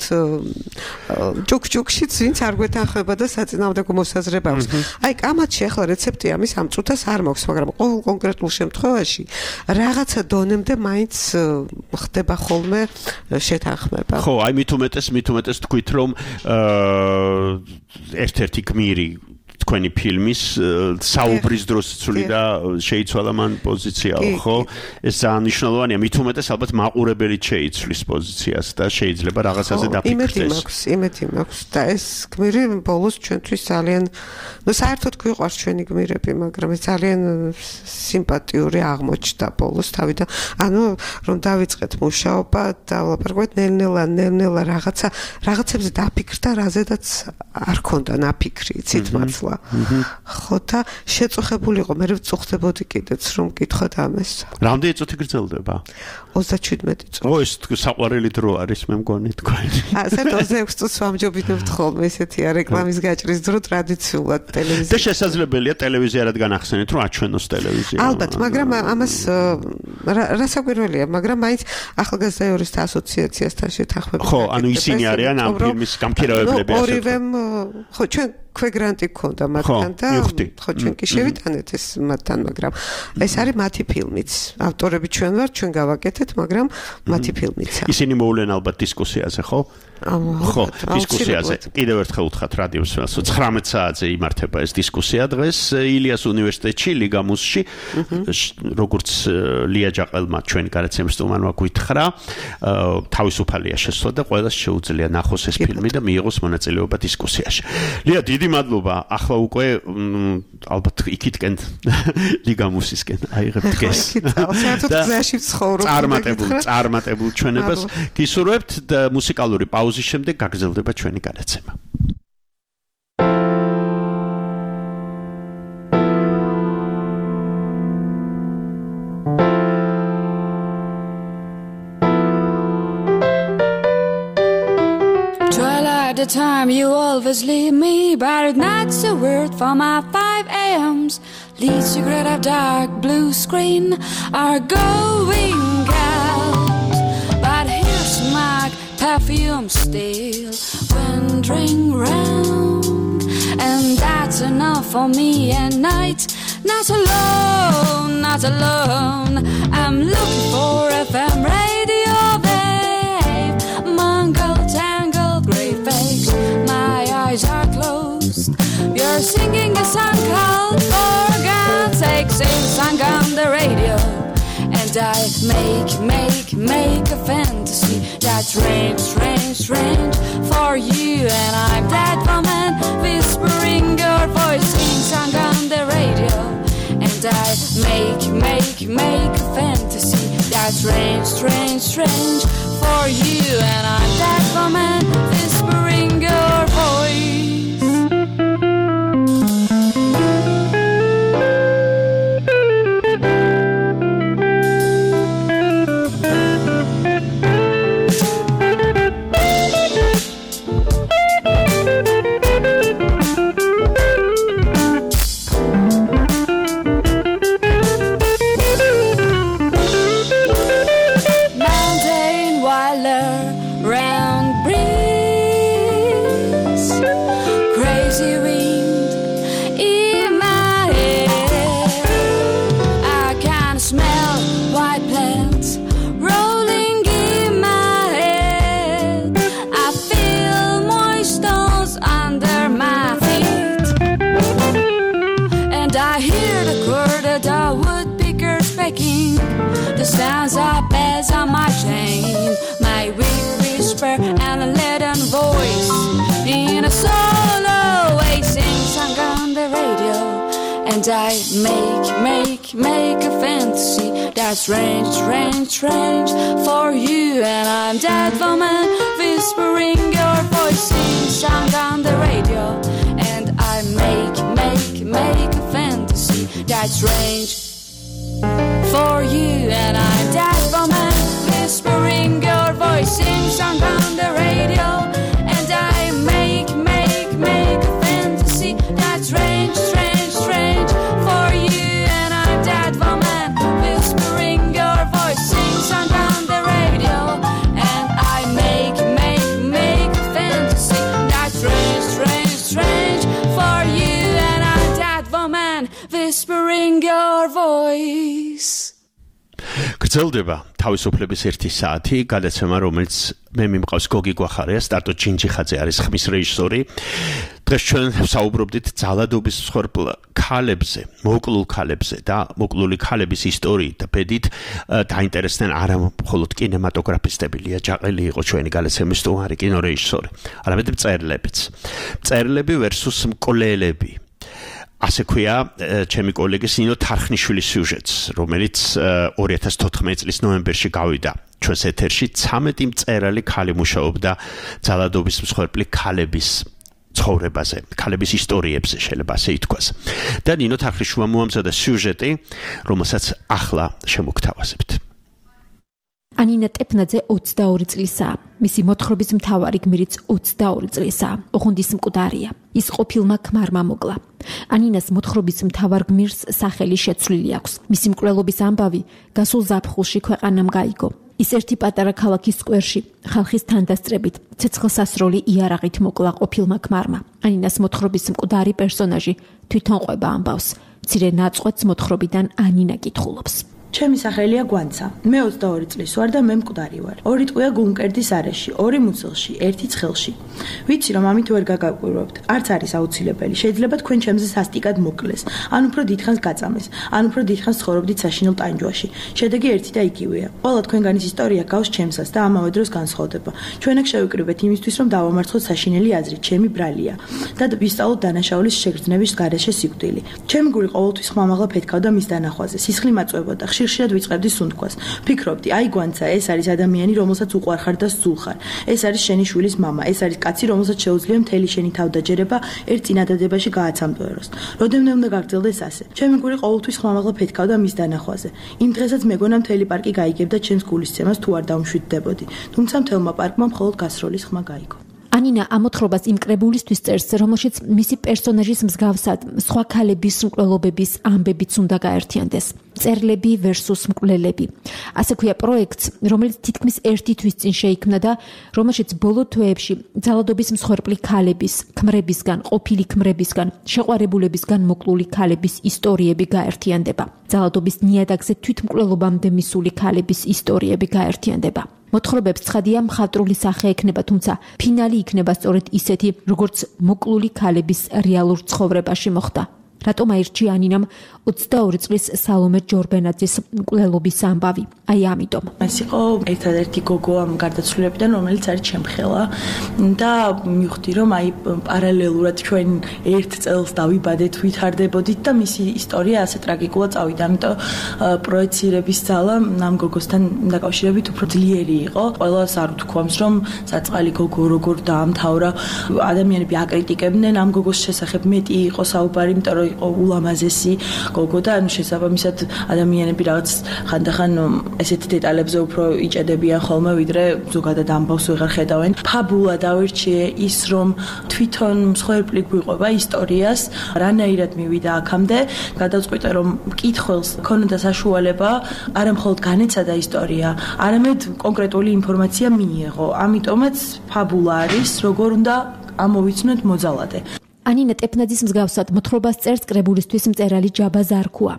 ჭუქჭუქშიც ვინც არ გვეთანხმება და საწინააღმდეგო მოსაზრება აქვს. აი, კამათში ახლა რეცეპტი ამის ამ წუთას არ მაქვს, მაგრამ ყოველ კონკრეტულ შემთხვევაში რაღაცა დონემდე მაინც ხდება ხოლმე შეთანხმება. ხო, აი მით უმეტეს, მით უმეტეს თქვით რომ ერთ-ერთი გმირი თქვენი ფილმის საუბრის დროს ცული და შეიცვალა მან პოზიციაო, ხო? ეს ძალიან მნიშვნელოვანია. მით უმეტეს ალბათ მაყურებელი შეიცვლის პოზიციას და შეიძლება რაღაცაზე დაფიქრდეს. იმედი მაქვს, იმედი მაქვს და ეს გმირი ბოლოს ჩვენთვის ძალიან, ну, საერთოდ გვიყვარს ჩვენი გმირები, მაგრამ ეს ძალიან სიმპათიური აღმოჩნდა ბოლოს თავიდან. ანუ რომ დავიწყეთ მუშაობა და ვლაპარაკობთ ნელ-ნელა, ნელ-ნელა რაღაცა, რაღაცებზე დაფიქრდა, რაზედაც არ ქონდა ნაფიქრი, იცით მართლა. ხო და შეწუხებული იყო, მე ვწუხდებოდი კიდეც რომ მკითხოთ ამას. რამდენი წუთი გრძელდება? ოცდაჩვიდმეტი წუთი. ო, ეს საყვარელი დრო არის, მე მგონი თქვენ. აა, საერთოდ ოცდაექვსი წუთს ვამჯობინებთ ხოლმე, ესეთია რეკლამის გაჭრის დრო ტრადიციულად ტელევიზიაში. და შესაძლებელია ტელევიზია რადგან ახსენეთ, რომ აჩვენოს ტელევიზია. ალბათ, მაგრამ ამას რასაკვირველია, მაგრამ მაინც ახალგაზრდა იურისტთა ასოციაციასთან შეთანხმებით. ხო, ანუ ისინი არიან ამ ფილმის გამქირავებლები ასე. ორივემ ხო, ჩვენ ქვეგრანტი გქონდა მათთან და ხო ჩვენ კი შევიტანეთ ეს მათთან, მაგრამ ეს არის მათი ფილმიც. ავტორები ჩვენ ვართ, ჩვენ გავაკეთეთ, მაგრამ მათი ფილმიცაა. ისინი მოვლენ ალბათ დისკუსიაზე, ხო? ხო, დისკუსიაზე. კიდევ ერთხელ უთხრათ რადიოს ველსო ცხრამეტ საათზე იმართება ეს დისკუსია დღეს ილიას უნივერსიტეტში, ლიგამუსში. როგორც ლია ჯაყელმა ჩვენ გარაცემის სტუმარმა გითხრა, თავისუფალია შესვლა და ყველას შეუძლია ნახოს ეს ფილმი და მიიღოს მონაწილეობა დისკუსიაში. ლია, დიდი მადლობა. ახლა უკვე ალბათ იქითკენ ლიგამუსისკენ აიღებთ გეს. საერთოდ გზაში ვცხოვრობ. წარმატებულ, წარმატებულ ჩვენებას გისურვებთ და მუსიკალური პაუზის შემდეგ გაგრძელდება ჩვენი გადაცემა. At the time you always leave me, but not a word from my five a.m.s. Lead cigarette of dark blue screen are going out, but here's my perfume still wandering round, and that's enough for me at night. Not alone, not alone. I'm looking for F M radio, babe. Mongol tangle, great face. My eyes are closed. You're singing a song called For God's Sake. Sing song on the radio, and I make, make, make a fantasy that's strange, strange, strange for you. And I'm that woman whispering your voice. Sing song on the radio, and I make, make, make a fantasy that's strange, strange, strange for you. And I'm that woman whispering your voice. Round faking. The sounds are bells on my chain. My weak whisper and a leaden voice. In a solo way sing song on the radio. And I make, make, make a fantasy that's strange, strange, strange for you. And I'm that woman whispering your voice sing song on the radio. And I make, make, make a fantasy that's strange for you. And I'm that woman whispering your voice sing song on the radio. And I make, make, make a fantasy that's strange, strange, strange for you. And I'm that woman whispering your voice sing song on the radio. And I make, make, make a fantasy that's strange, strange, strange for you. And I'm that woman whispering your voice. გრძელდება თავისუფლების ერთი საათი გადაცემა, რომელიც მე მიმყავს გოგი გვახარია, სტარტო ჩინჩიხაძე არის ხმის რეჟისორი. დღეს ჩვენ საუბრობდით ძალადობის მსხვერპლ ქალებზე, მოკლულ ქალებზე და მოკლული ქალების ისტორიით და ბედით დაინტერესდნენ არა მხოლოდ კინემატოგრაფისტები, ლია ჯაყელი იყო ჩვენი გადაცემის სტუმარი კინორეჟისორი, არამედ მწერლებიც. მწერლები versus მკვლელები. ასე ქვია ჩემი კოლეგის ნინო თარხნიშვილის სიუჟეტს, რომელიც ორი ათას თოთხმეტი წლის ნოემბერში გავიდა ჩვენს ეთერში. ცამეტი მწერალი ქალი მუშაობდა ძალადობის მსხვერპლი ქალების ცხოვრებაზე, ქალების ისტორიებზე შეიძლება ასე ითქვას. და ნინო თარხნიშვილმა მოამზადა სიუჟეტი, რომელსაც ახლა შემოგთავაზებთ. ანინა ტეფნაძე ოცდაორი წლისაა. მისი მოთხრობის მთავარი გმირიც ოცდაორი წლისაა. ოხუნდის მკვდარია. ის ყოფილმა ქმარმა მოკლა. ანინას მოთხრობის მთავარ გმირს სახელი შეცვლილი აქვს. მისი მკვლელობის ამბავი გასულ ზაფხულში ქვეყანამ გაიგო. ის ერთი პატარა ქალაქის სკვერში ხალხის თანდასწრებით ცეცხლსასროლი იარაღით მოკლა ყოფილმა ქმარმა. ანინას მოთხრობის მკვდარი პერსონაჟი თვითონ ყვება ამბავს. მცირე ნაწყვეტს მოთხრობიდან ანინა კითხულობს. ჩემი სახელია გვანცა. მე ოცდაორი წლის ვარ და მე მკვდარი ვარ. ორი ტყვია გუნკერდის არეში, ორი მუცელში, ერთი ცხელში. ვიცი რომ ამით ვერ გაგაკვირვებთ. არც არის აუცილებელი. შეიძლება თქვენ ჩემზე სასტიკად მოკლეს, ან უფრო დიდხანს გაწამეს, ან უფრო დიდხანს ცხოვრობდით საშინელ ტანჯვაში. შედეგი ერთი და იგივეა. ყველა თქვენგანის ისტორია გავს ჩემსაც და ამავე დროს განსხვავდება. ჩვენ აქ შევიკრიბეთ იმისთვის, რომ დავამარცხოთ საშინელი აზრი, ჩემი ბრალია და ვისწავლოთ დანაშაულის შეგრძნების გარეშე სიკვდილი. ჩემი გული ყოველთვის ხმამაღლა ფეთქავდა მის დანახვაზე. სისხლი მაწვებოდა. ხშირად ვიწყებდი სუნთქვას. ფიქრობდი, აი გვანცა, ეს არის ადამიანი, რომელსაც უყვარხარ და სულხარ. ეს არის შენი შვილის მამა, ეს არის კაცი, რომელსაც შეუძლია მთელი შენი თავდაჯერება ერთ წინადადებაში გააცამდოეროს. როდემდე უნდა გაგრძელდეს ასე. ჩემი გული ყოველთვის ხმამაღლა ფეთქავდა მის დანახვაზე. იმ დღესაც მეგონა მთელი პარკი გაიგებდა ჩემს გულისცემას თუ არ დავმშვიდდებოდი. თუმცა მთელმა პარკმა მხოლოდ გასროლის ხმა გაიგო. ანინა ამოთხრობას იმ კრებულისთვის წერს, რომელშიც მისი პერსონაჟის მსგავსად სხვა ქალების მკვლელობების ამბებიც უნდა გაერთიანდეს. მწერლები versus მკვლელები. ასე ქვია პროექტს, რომელიც თითქმის ერთი თვის წინ შეიქმნა და რომელშიც ბოლო თვეებში ძალადობის მსხვერპლი ქალების, ქმრებისგან, ყოფილი ქმრებისგან, შეყვარებულებისგან მოკლული ქალების ისტორიები გაერთიანდება. ძალადობის ნიადაგზე თვითმკვლელობამდე მისული ქალების ისტორიები გაერთიანდება. მოთხრობებს ცხადია მხატვრული სახე ექნება, თუმცა ფინალი იქნება სწორედ ისეთი, როგორც მოკლული ქალების რეალურ ცხოვრებაში მოხდა. რატომ აირჩია ანინამ ოცდაორი წლის სალომე ჯორბენაძის მკვლელობის ამბავი? აი ამიტომ. ეს იყო ერთადერთი გოგო ამ გარდაცვლილებიდან, რომელიც არის ჩემხელა და მივხვდი, რომ აი პარალელურად ჩვენ ერთ წელს დავიბადეთ, ვითარდებოდით და მისი ისტორია ასე ტრაგიკულად წავიდა. ამიტომ პროექცირების ძალა ამ გოგოსთან დაკავშირებით უფრო ძლიერი იყო. ყველას არ უთქვამს, რომ საწყალი გოგო როგორ დაამთავრა. ადამიანები აკრიტიკებდნენ ამ გოგოს შესახებ, მეტი იყო საუბარი, იმიტომ რომ იყო ულამაზესი გოგო და ანუ შესაბამისად ადამიანები რაღაც ხანდახან ესეთი დეტალებზე უფრო იჭედებიან ხოლმე, ვიდრე ზოგადად ამბავს ვეღარ ხედავენ. ფაბულა დავირჩიე ის, რომ თვითონ მსხვერპლი გვიყვება ისტორიას, რანაირად მივიდა აქამდე, გადავწყვიტე, რომ მკითხველს ქონოდა საშუალება არა მხოლოდ განეცადა ისტორია, არამედ კონკრეტული ინფორმაცია მიიღო. ამიტომაც ფაბულა არის, როგორ უნდა ამოვიცნოთ მოძალადე. ანინა ტეფნაძის მსგავსად მოთხრობას წერს კრებულისთვის მწერალი ჯაბა ზარქუა.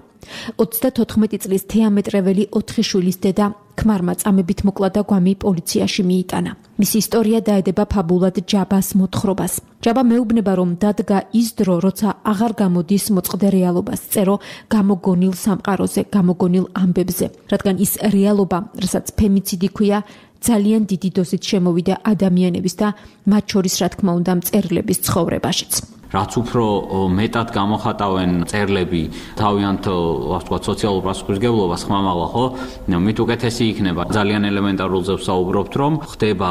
ოცდათოთხმეტი წლის თეამეტრეველი ოთხი შვილის დედა ქმარმა წამებით მოკლა და გვამი პოლიციაში მიიტანა. მისი ისტორია დაედება ფაბულად ჯაბას მოთხრობას. ჯაბა მეუბნება, რომ დადგა ის დრო, როცა აღარ გამოდის მოწყდე რეალობას, წერო გამოგონილ სამყაროზე, გამოგონილ ამბებზე, რადგან ის რეალობა, რასაც ფემიციდი ქვია, ძალიან დიდი დოზით შემოვიდა ადამიანების და მათ შორის, რა თქმა უნდა, მწერლების ცხოვრებაშიც. რაც უფრო მეტად გამოხატავენ მწერლები თავიანთ ვთქვათ სოციალურ პასუხისმგებლობას ხმამაღლა, ხო? მით უკეთესი იქნება. ძალიან ელემენტარულ ზევს საუბრობთ, რომ ხდება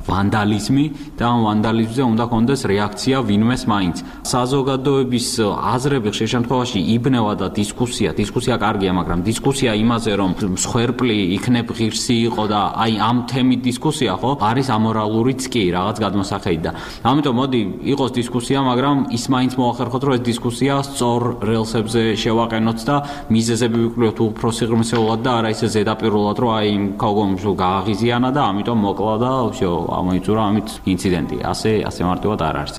ვანდალიზმი და ამ ვანდალიზმზე უნდა კონდეს რეაქცია ვინმეს მაინც. საზოგადოების აზრები ხშირ შემთხვევაში იბნევა და დისკუსია, დისკუსია კარგია, მაგრამ დისკუსია იმაზე, რომ მსხვერპლი იქნებ ღირსი იყო და აი ამ თემით დისკუსია, ხო? არის ამორალურიც კი რაღაც გადმოსახედი და ამიტომ მოდი იყოს დისკუსია, მაგრამ ის მაინც მოახერხოთ, რომ ეს დისკუსია სწორ რელსებზე შევაყენოთ და მიზეზები ვიკვლევთ უფრო სიღრმისეულად და არა ისე ზედაპირულად, რომ აი იმ ქალგონიმს გააღიზიანა და ამიტომ მოკლა და всё, ამოიწურა ამით ინციდენტი. ასე ასე მარტივად არ არის.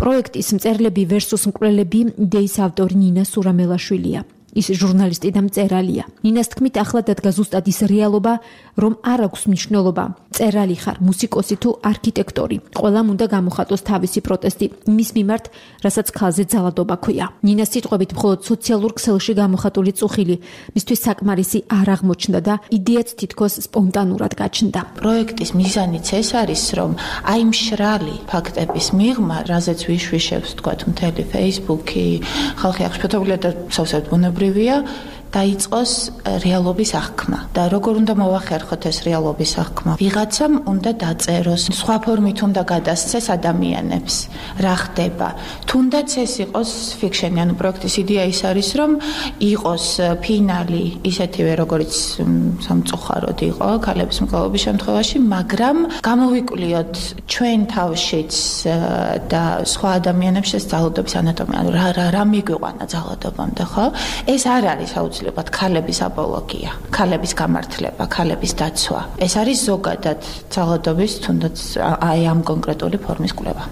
პროექტის მწერლები versus მკვლელები იდეის ავტორი ნინა სურამელაშვილია. ის ჟურნალისტი და მწერალია. ნინას თქმით, ახლა დადგა ზუსტად ის რეალობა, რომ არ აქვს მნიშვნელობა, მწერალი ხარ, მუსიკოსი თუ არქიტექტორი. ყველამ უნდა გამოხატოს თავისი პროტესტი მის მიმართ, რასაც ქალზე ძალადობა ქვია. ნინას სიტყვებით, მხოლოდ სოციალურ ქსელში გამოხატული წუხილი მისთვის საკმარისი არ აღმოჩნდა და იდეაც თითქოს სპონტანურად გაჩნდა. პროექტის მიზანიც ეს არის, რომ აი მშრალი ფაქტების მიღმა, რაზეც ვიშვიშებს, თქვათ, მთელი Facebook-ი, ხალხი აღშფოთებულია და სავსებით ბუნებრივია დაიწყოს რეალობის აღქმა და როგორ უნდა მოახერხოთ ეს რეალობის აღქმა? ვიღაცამ უნდა დაწეროს, სხვა ფორმით უნდა გადასცეს ადამიანებს, რა ხდება. თუნდაც ეს იყოს ფიქშენი, ანუ პროექტის იდეა ის არის, რომ იყოს ფინალი ისეთივე, როგორც სამწუხაროდ იყო ქალების მკვლელობის შემთხვევაში, მაგრამ გამოვიკვლიოთ ჩვენ თავშიც და სხვა ადამიანებს ეს ძალადობის ანატომია, ანუ რა რა რა მიგვიყვანა ძალადობამდე, ხო? ეს არ არის აუცილებლად ქალების აპოლოგია, ქალების გამართლება, ქალების დაცვა. ეს არის ზოგადად ძალადობის თუნდაც აი ამ კონკრეტული ფორმის კვლევა.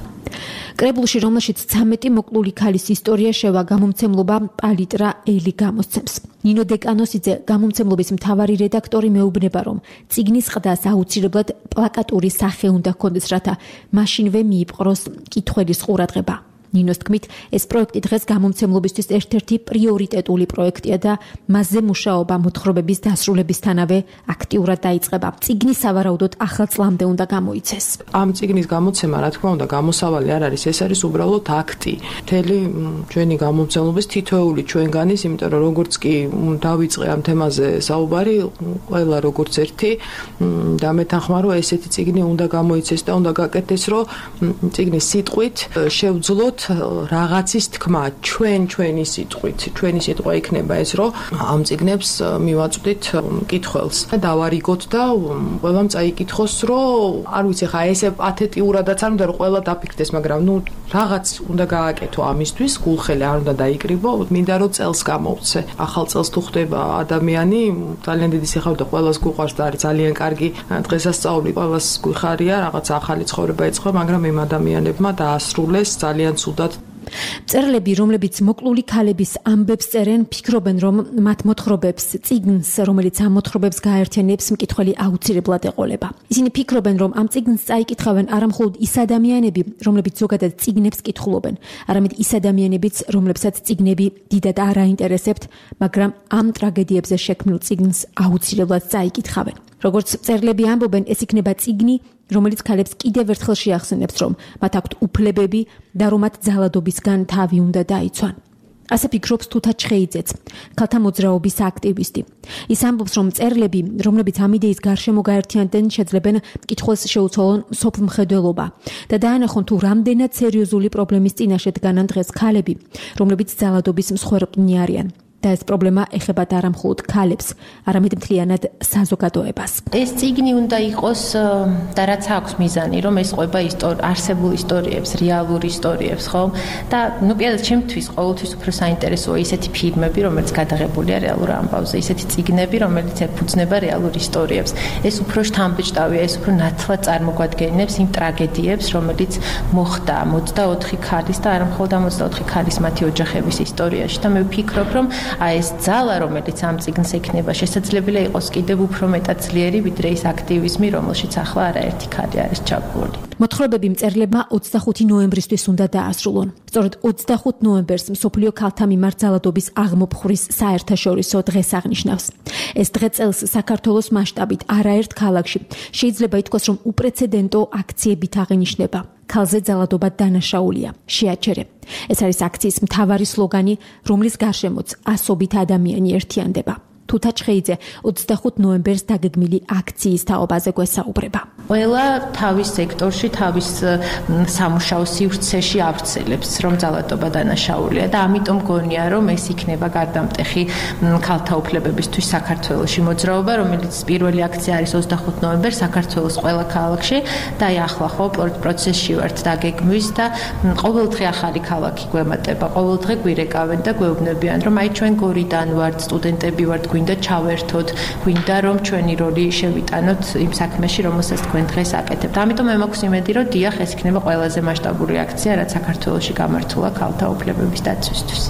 კრებულში, რომელშიც ცამეტი მოკლული ქალის ისტორია შევა, გამომცემლობა პალიტრა ელი გამოსცემს. ნინო დეკანოსიძე, გამომცემლობის მთავარი რედაქტორი, მეუბნება, რომ წიგნის ყდას აუცილებლად პლაკატური სახე უნდა ჰქონდეს, რათა მაშინვე მიიპყროს მკითხველის ყურადღება. ნინოს თქმით, ეს პროექტი დღეს გამომცემლობისთვის ერთ-ერთი პრიორიტეტული პროექტია და მასზე მუშაობა მოთხრობების დასრულებისთანავე აქტიურად დაიწყება. წიგნი სავარაუდოდ ახალ წლამდე უნდა გამოიცეს. ამ წიგნის გამოცემა, რა თქმა უნდა, გამოსავალი არ არის, ეს არის უბრალოდ აქტი. მთელი ჩვენი გამომცემლობის თითოეული ჩვენგანის, იმიტომ რომ როგორც კი დავიწყე ამ თემაზე საუბარი, ყველა როგორც ერთი დამეთანხმა, რომ ესეთი წიგნი უნდა გამოიცეს და უნდა გაკეთდეს, რომ წიგნის სიტყვით შევძლოთ რაღაცის თქმა, ჩვენ ჩვენი სიტყვით, ჩვენი სიტყვა იქნება ეს, რომ ამ წიგნებს მივაწვდით მკითხველს და დავარიგოთ და ყველამ წაიკითხოს, რომ არ ვიცი ხა ესე პათეტიურადაც არ უნდა რომ ყველა დაფიქრდეს, მაგრამ ნუ რაღაც უნდა გააკეთო ამისთვის, გულხელი არ უნდა დაიკრიბო, მინდა რომ წელს გამოვცე. ახალ წელს თუ ხდება ადამიანი, ძალიან დიდი სიხარულით და ყველას გუყვარს და არის ძალიან კარგი დღესასწაული, ყველას გვიხარია, რაღაც ახალი ცხოვრება ეწყო, მაგრამ იმ ადამიანებმა დაასრულეს ძალიან მწერლები, რომლებიც მოკლული ქალების ამბებს წერენ, ფიქრობენ, რომ მათ მოთხრობებს, წიგნს, რომელიც ამ მოთხრობებს გააერთიანებს, მკითხველი აუცილებლად ეყოლება. ისინი ფიქრობენ, რომ ამ წიგნს წაიკითხავენ არა მხოლოდ ის ადამიანები, რომლებიც ზოგადად წიგნებს კითხულობენ, არამედ ის ადამიანებიც, რომლებსაც წიგნები დიდად არ აინტერესებთ, მაგრამ ამ ტრაგედიებზე შექმნილ წიგნს აუცილებლად წაიკითხავენ. როგორც მწერლები ამბობენ, ეს იქნება წიგნი, რომელიც ქალებს კიდევ ერთხელ შეახსენებს, რომ მათ აქვთ უფლებები და რომ მათ ძალადობისგან თავი უნდა დაიცვან. ასე ფიქრობს თუთა ჩხეიძეც, ქალთა მოძრაობის აქტივისტი. ის ამბობს, რომ მწერლები, რომლებიც ამ იდეის გარშემო გაერთიანდნენ, შეძლებენ მკითხველს შეუცვალონ სოფლმხედველობა და დაანახონ თუ რამდენად სერიოზული პრობლემის წინაშე დგანან დღეს ქალები, რომლებიც ძალადობის მსხვერპლნი არიან. და ეს პრობლემა ეხებათ არა მხოლოდ ქალებს, არამედ მთლიანად საზოგადოებას. ეს წიგნი უნდა იყოს და რაც აქვს მიზანი, რომ ეს ყვება არსებულ ისტორიებს, რეალურ ისტორიებს, ხო? და ნუ პირადად ჩემთვის ყოველთვის უფრო საინტერესოა ისეთი ფილმები, რომელიც გადაღებულია რეალურ ამბავზე, ისეთი წიგნები, რომელიც ეფუძნება რეალურ ისტორიებს. ეს უფრო შთამბეჭდავია, ეს უფრო ნათლად წარმოგვადგენს იმ ტრაგედიებს, რომელიც მოხდა ოცდაოთხი ქალის და არა მხოლოდ ოცდაოთხი ქალის მათი ოჯახების ისტორიაში და მე ვფიქრობ, რომ აი ეს ძალა, რომელიც ამ წიგნს ექნება, შესაძლებელია იყოს კიდევ უფრო მეტად ძლიერი, ვიდრე ის აქტივიზმი, რომელშიც ახლა არაერთი ქალი არის ჩაბმული. მოთხრობები მწერლებმა ოცდახუთი ნოემბრისთვის უნდა დაასრულონ. სწორედ ოცდახუთი ნოემბერს მსოფლიო ქალთა მიმართ ძალადობის აღმოფხვრის საერთაშორისო დღეს აღნიშნავს. ეს დღე წელს საქართველოს მასშტაბით არაერთ ქალაქში შეიძლება ითქვას, რომ უპრეცედენტო აქციებით აღინიშნება. ქალზე ძალადობა დანაშაულია, შეაჩერე. ეს არის აქციის მთავარი სლოგანი, რომლის გარშემოც ასობით ადამიანი ერთიანდება. თუთა ჩხეიძე ოცდახუთი ნოემბერს დაგეგმილი აქციის თაობაზე გვესაუბრება. ყველა თავის სექტორში, თავის სამუშაო სივრცეში ავრცელებს, რომ ძალადობა დანაშაულია და ამიტომ გონია, რომ ეს იქნება გარდამტეხი ქალთა უფლებებისთვის საქართველოში მოძრაობა, რომელიც პირველი აქცია არის ოცდახუთი ნოემბერს საქართველოს ყველა ქალაქში და აი ახლა ხო პროცესში ვართ დაგეგმვის და ყოველდღე ახალი ქალაქი გვემატება, ყოველდღე გვირეკავენ და გვეუბნებიან, რომ აი ჩვენ გორიდან ვართ, სტუდენტები ვართ, გვინდა ჩავერთოთ, გვინდა რომ ჩვენი როლი შევიტანოთ იმ საქმეში, რომელსაც თქვენ დღეს აკეთებთ. ამიტომ მე მაქვს იმედი, რომ დიახ, ეს იქნება ყველაზე მასშტაბური აქცია, რაც საქართველოში გამართულა ქალთა უფლებების დაცვისთვის.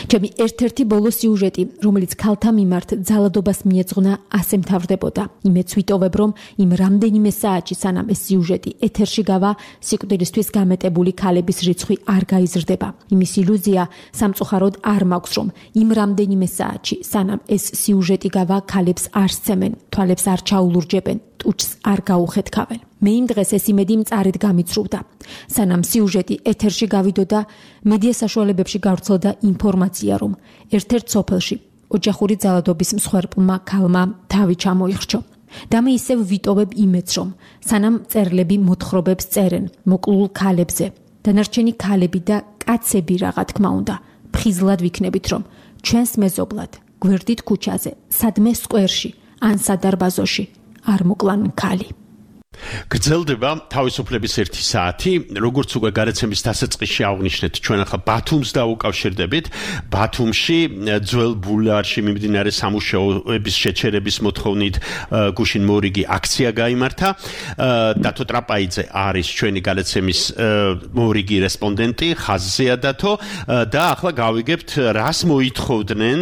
ჩემი ერთ-ერთი ბოლო სიუჟეტი, რომელიც ქალთა მიმართ ძალადობას მიეძღვნა, ასე მთავრდებოდა. იმეც ვიტოვებ, რომ იმ რამდენიმე საათში, სანამ ეს სიუჟეტი ეთერში გავა, სიკვდილისთვის გამეტებული ქალების რიცხვი არ გაიზრდება. იმის ილუზია სამწუხაროდ არ მაქვს, რომ იმ რამდენიმე საათში, სანამ ეს სიუჟეტი გავა, ქალებს არ სცემენ, თვალებს არ ჩაულურჯებენ, ტუჩს არ გაუხეთქავენ. მე იმ დღეს ეს იმედი მწარედ გამიცრუვდა. სანამ სიუჟეტი ეთერში გავიდოდა, მედია საშუალებებში გავრცელდა ინფორმაცია, რომ ერთ-ერთ სოფელში ოჯახური ძალადობის მსხვერპლმა ქალმა თავი ჩამოიხრჩო. და მე ისევ ვიტოვებ იმედს, რომ სანამ მწერლები მოთხრობებს წერენ მოკლულ ქალებზე, დანარჩენი ქალები და კაცები რაღა თქმა უნდა, ფხიზლად ვიქნებით, რომ ჩვენს მეზობლად, გვერდით ქუჩაზე, სადმე სკვერში ან სადარბაზოში არ მოკლან ქალი. გრძელდება თავისუფლების ერთი საათი, როგორც უკვე გარეთმის დასაწყისში აღნიშნეთ, ჩვენ ახლა ბათუმს დავუკავშირდებით. ბათუმში ძველ ბულვარში მიმდინარე სამუშაოების შეჩერების მოთხოვნით გუშინ მორიგი აქცია გაიმართა. დათო ტრაპაიძე არის ჩვენი გარეთმის მორიგი რესპონდენტი, ხაზზეა დათო და ახლა გავიგებთ, რას მოითხოვდნენ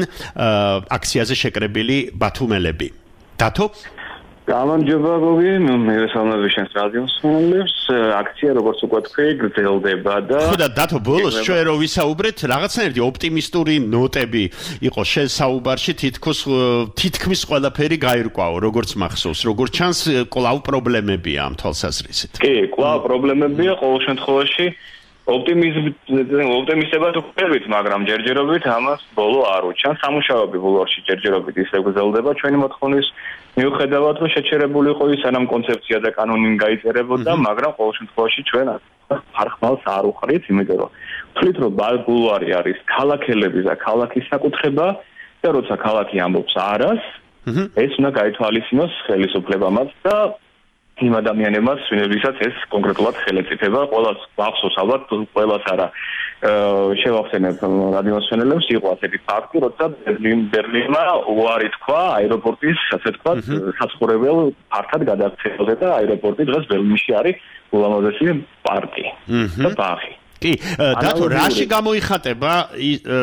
აქციაზე შეკრებილი ბათუმელები. დათო გამარჯობა გოგი, მე ვესალმები შენს რადიოს მსმენელებს. აქცია როგორც უკვე თქვი, გრძელდება და ხო და დათო ბოლოს ჩვენ რო ვისაუბრეთ, რაღაცნაირი ოპტიმისტური ნოტები იყო შენ საუბარში, თითქოს თითქმის ყველაფერი გაირკვაო, როგორც მახსოვს, როგორც ჩანს, კვლავ პრობლემებია ამ თვალსაზრისით. კი, კვლავ პრობლემებია ყოველ შემთხვევაში. ოპტიმიზმი ოპტიმისტებად ვქებით, მაგრამ ჯერჯერობით ამას ბოლო არ უჩანს. სამუშაოები ბოლოში ჯერჯერობით ისე გრძელდება ჩვენი მოთხოვნის მიუხედავად, რომ შეჩერებული იყო ის სანამ კონცეფცია და კანონი გაიწერებოდა, მაგრამ ყოველ შემთხვევაში ჩვენ ხარხმალს არ უყრით, იმიტომ რომ ვთვლით, რომ ბულვარი არის ქალაქელების და ქალაქის საკუთრება და როცა ქალაქი ამბობს არას, ეს უნდა გაითვალისწინოს ხელისუფლებამაც და იმ ადამიანებმაც, ვინებისაც ეს კონკრეტულად ხელეწიფება, ყველას მახსოვს ალბათ, ყველას არა შევახსენებ რადიოსმენელებს, იყო ასეთი ფაქტი, როცა ბერლინმა უარი თქვა აეროპორტის, ასე ვთქვათ, საცხოვრებელ ფართად გადაქცევაზე და აეროპორტი დღეს ბერლინში არის ულამაზესი პარკი და ბაღი. კი, დათო, რაში გამოიხატება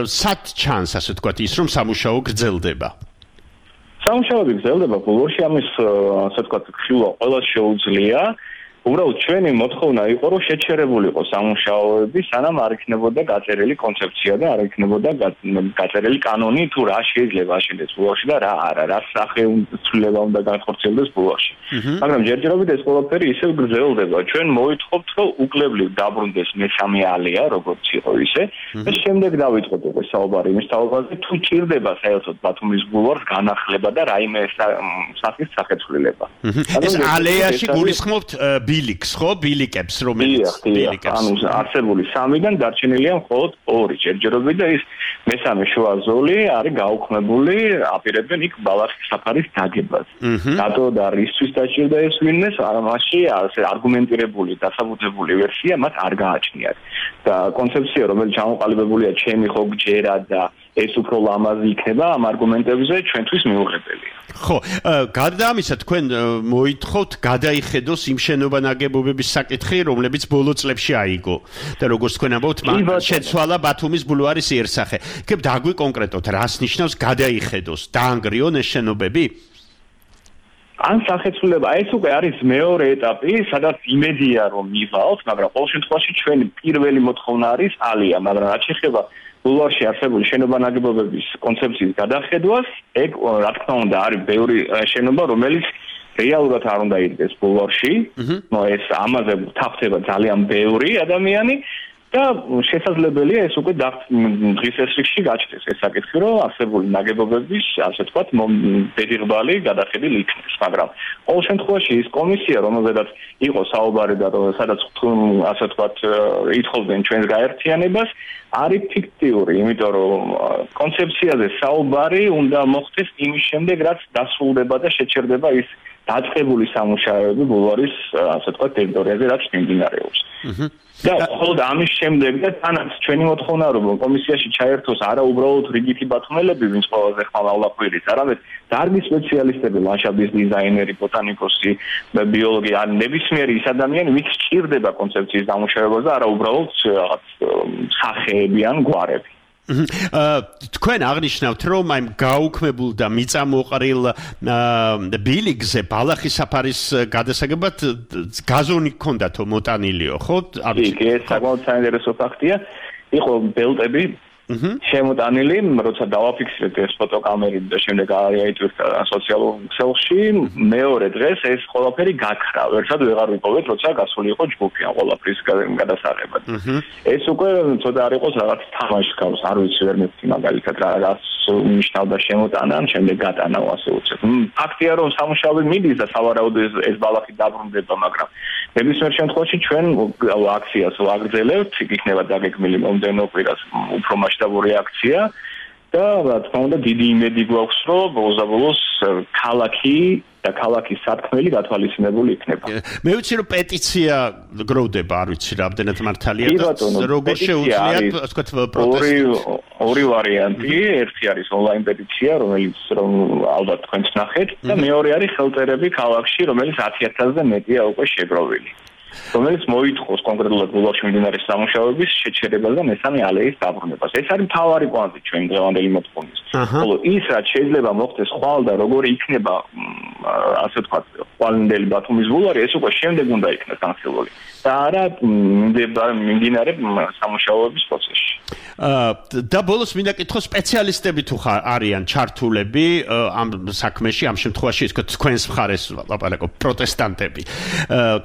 სად ჩანს, ასე ვთქვათ, ის რომ სამუშაო გრძელდება? სამუშაოები გრძელდება ბულვარში, ამის ასე ვთქვათ, ხილვა ყველას შეუძლია. უბრალოდ ჩვენი მოთხოვნა იყო, რომ შეჩერებული იყო სამუშაოები, სანამ არ იქნებოდა გაწერილი კონცეფცია და არ იქნებოდა გაწერილი კანონი, თუ რა შეიძლება აშენდეს ბულვარში და რა არა, რა სახეცვლილება უნდა განხორციელდეს ბულვარში. მაგრამ ჯერჯერობით ეს ყველაფერი ისევ გრძელდება. ჩვენ მოითხოვთ, რომ უკლებლივ დაბრუნდეს მესამე ალეა, როგორც იყო ისე, და შემდეგ დავიწყოთ უკვე საუბარი იმის თაობაზე, თუ ჭირდება საერთოდ ბათუმის ბულვარს განახლება და რაიმე სახის სახეცვლილება. ეს ალეაში გულისხმობთ ბილიკს, ხო? ბილიკებს, რომელიც ბილიკებს. ანუ არსებული სამიდან დარჩენილია მხოლოდ ორი ჯერჯერობით და ის მესამე შუა ზოლი არის გაუქმებული, აპირებენ იქ ბალახის საფარის დაგებას. რატო და რისთვის დაჭირდა ეს ვინმეს, ამაში არგუმენტირებული, დასაბუთებული ვერსია მათ არ გააჩნიათ. და კონცეფცია, რომელიც ჩამოყალიბებულია ჩემი ხო გჯერა და ეს უფრო ლამაზი იქნება, ამ არგუმენტებზე ჩვენთვის მიუღებელია. ხო, გარდა ამისა, თქვენ მოითხოვთ გადაიხედოს იმ შენობა ნაგებობების საკითხი, რომლებიც ბოლო წლებში აიგო. და როგორც თქვენ ამბობთ, მან შეცვალა ბათუმის ბულვარის იერსახე. იქ დაგვიკონკრეტოთ, რას ნიშნავს გადაიხედოს, დაანგრიონ ეს შენობები? ან სახეცვლილება, ეს უკვე არის მეორე ეტაპი, სადაც იმედია რომ მივალთ, მაგრამ ყოველ შემთხვევაში ჩვენი პირველი მოთხოვნა არის ალია, მაგრამ რაც შეეხება ბულვარში არსებული შენობა ნაგებობების კონცეფციის გადახედვას, ეგ რა თქმა უნდა არის ბევრი შენობა, რომელიც რეალურად არ უნდა იდგეს ბულვარში. ნუ ეს ამაზე თაფთება ძალიან ბევრი ადამიანი და შესაძლებელია ეს უკვე დღის ესრიგში გაჩნდეს ეს საკითხი, რომ არსებული ნაგებობების, ასე ვთქვათ, დედიღბალი გადახედილი იქნეს, მაგრამ ყოველ შემთხვევაში ის კომისია, რომელზედაც იყო საუბარი და სადაც ასე ვთქვათ, ითხოვდნენ ჩვენს გაერთიანებას, არის ფიქტიური, იმიტომ რომ კონცეფციაზე საუბარი უნდა მოხდეს იმის შემდეგ, რაც დასრულდება და შეჩერდება ის დაწყებული სამუშაოები ბულვარის, ასე ვთქვათ, ტერიტორიაზე, რაც მიმდინარეობს. და ხოლმე ამის შემდეგ და თანაც ჩვენი მოთხოვნა რომ კომისიაში ჩაერთოს არა უბრალოდ რიგითი ბათუმელები, ვინც ყველაზე ხმალავლა ყვირის, არამედ დარგის სპეციალისტები, ლანდშაფტის დიზაინერი, ბოტანიკოსი, ბიოლოგი, ან ნებისმიერი ის ადამიანი, ვინც სჭირდება კონცეფციის დამუშავებას და არა უბრალოდ რაღაც სახეები ან გვარები. თქვენ აღნიშნავთ, რომ აი გაუქმებულ და მიწამოყრილ ბილიგზე ბალახის საფარის გადასაგებად გაზონი ჰქონდათო მოტანილიო, ხო? იქ ეს საკმაოდ საინტერესო ფაქტია. იყო ბელტები შემოტანილი, როცა დავაფიქსირეთ ეს ფოტოკამერით და შემდეგ აიტვირთა სოციალურ ქსელში, მეორე დღეს ეს ყველაფერი გაქრა. ერთად ვეღარ ვიპოვეთ, როცა გასული იყო ჯგუფი ან ყველაფრის გადასაღებად. ეს უკვე ცოტა არ იყოს რაღაც თამაშს გავს, არ ვიცი ვერ მეთქი მაგალითად რა რას ნიშნავდა შემოტანა, ან შემდეგ გატანა ასე უცებ. ფაქტია რომ სამუშაოები მიდის და სავარაუდოდ ეს ბალახი დაბრუნდება, მაგრამ ნებისმიერ შემთხვევაში ჩვენ აქციას ვაგრძელებთ, იქნება დაგეგმილი მომდევნო კვირას უფრო მასშტაბური აქცია და რა თქმა უნდა დიდი იმედი გვაქვს, რომ ბოლოს ქალაქი და ქალაქის სათქმელი გათვალისწინებული იქნება. მე ვიცი რომ პეტიცია გროვდება, არ ვიცი რამდენად მართალია და როგორ შეუძლიათ, ასე ვთქვათ, პროტესტი. ორი ვარიანტი, ერთი არის ონლაინ პეტიცია, რომელიც რომ ალბათ თქვენც ნახეთ და მეორე არის ხელწერები ქალაქში, რომელიც ათი ათასზე მეტია უკვე შეგროვილი. რომელიც მოითხოვს კონკრეტულად ბულვარში მიმდინარე სამუშაოების შეჩერებას და მესამე ალეის დაბრუნებას. ეს არის მთავარი კვანტი ჩვენი დღევანდელი მოთხოვნის. ხოლო ის რაც შეიძლება მოხდეს ხვალ და როგორი იქნება, ასე ვთქვათ, ხვალინდელი ბათუმის ბულვარი, ეს უკვე შემდეგ უნდა იქნას განხილული. და არა მიმდინარე სამუშაოების პროცესში. და ბოლოს მინდა კითხო, სპეციალისტები თუ არიან ჩართულები ამ საქმეში, ამ შემთხვევაში ის თქვენს მხარეს ლაპარაკობ, პროტესტანტები,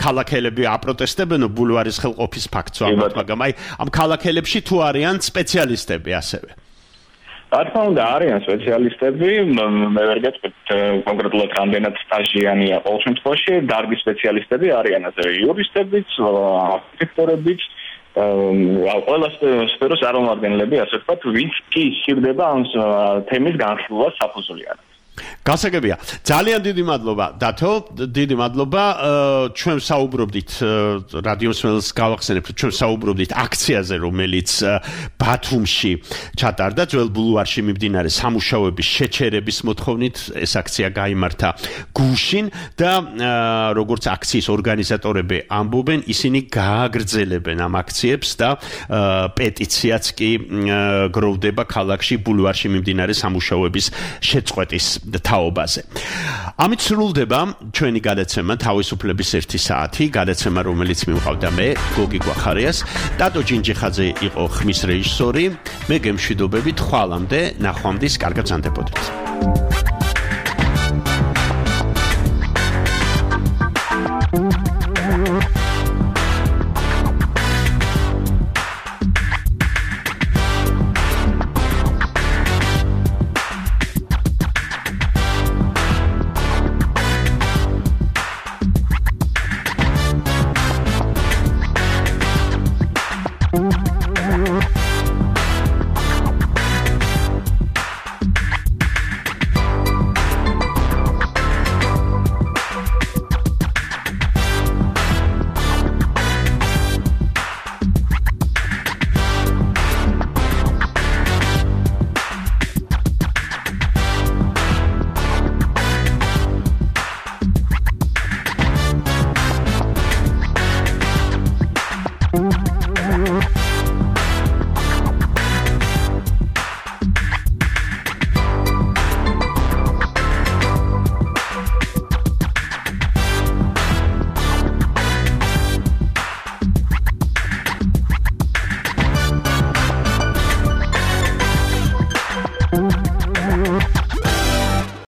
ქალაქელები აპროტესტებენ ბულვარის ხელყოფის ფაქტს ვამბობ, მაგრამ აი ამ ქალაქელებში თუ არიან სპეციალისტები ასევე. რა თქმა უნდა არიან სპეციალისტები, მე ვერ გეტყვით კონკრეტულად რამდენად სტაჟიანია ყოველ შემთხვევაში, დარგის სპეციალისტები არიან ასევე იურისტებიც, არქიტექტორებიც, ყველა სფეროს წარმომადგენლები, ასე ვთქვათ, ვინც კი იხილდება ამ თემის განხილვას საფუძვლიანად. გასაგებია. ძალიან დიდი მადლობა, დათო, დიდი მადლობა. ჩვენ საუბრობდით რადიო მსმენელს გავახსენებთ, ჩვენ საუბრობდით აქციაზე, რომელიც ბათუმში ჩატარდა, ძველ ბულვარში მიმდინარე სამუშაოების შეჩერების მოთხოვნით. ეს აქცია გაიმართა გუშინ და როგორც აქციის ორგანიზატორები ამბობენ, ისინი გააგრძელებენ ამ აქციებს და პეტიციაც კი გროვდება ქალაქში ბულვარში მიმდინარე სამუშაოების შეწყვეტის თაობაზე. ამით სრულდება ჩვენი გადაცემა თავისუფლების ერთი საათი, გადაცემა რომელიც მივყავდა მე, გოგი გვახარიას, ტატო ჯინჯიხაძე იყო ხმის რეჟისორი, მე გემშვიდობებით ხვალამდე, ნახვამდის, კარგად ზანდებოდეთ.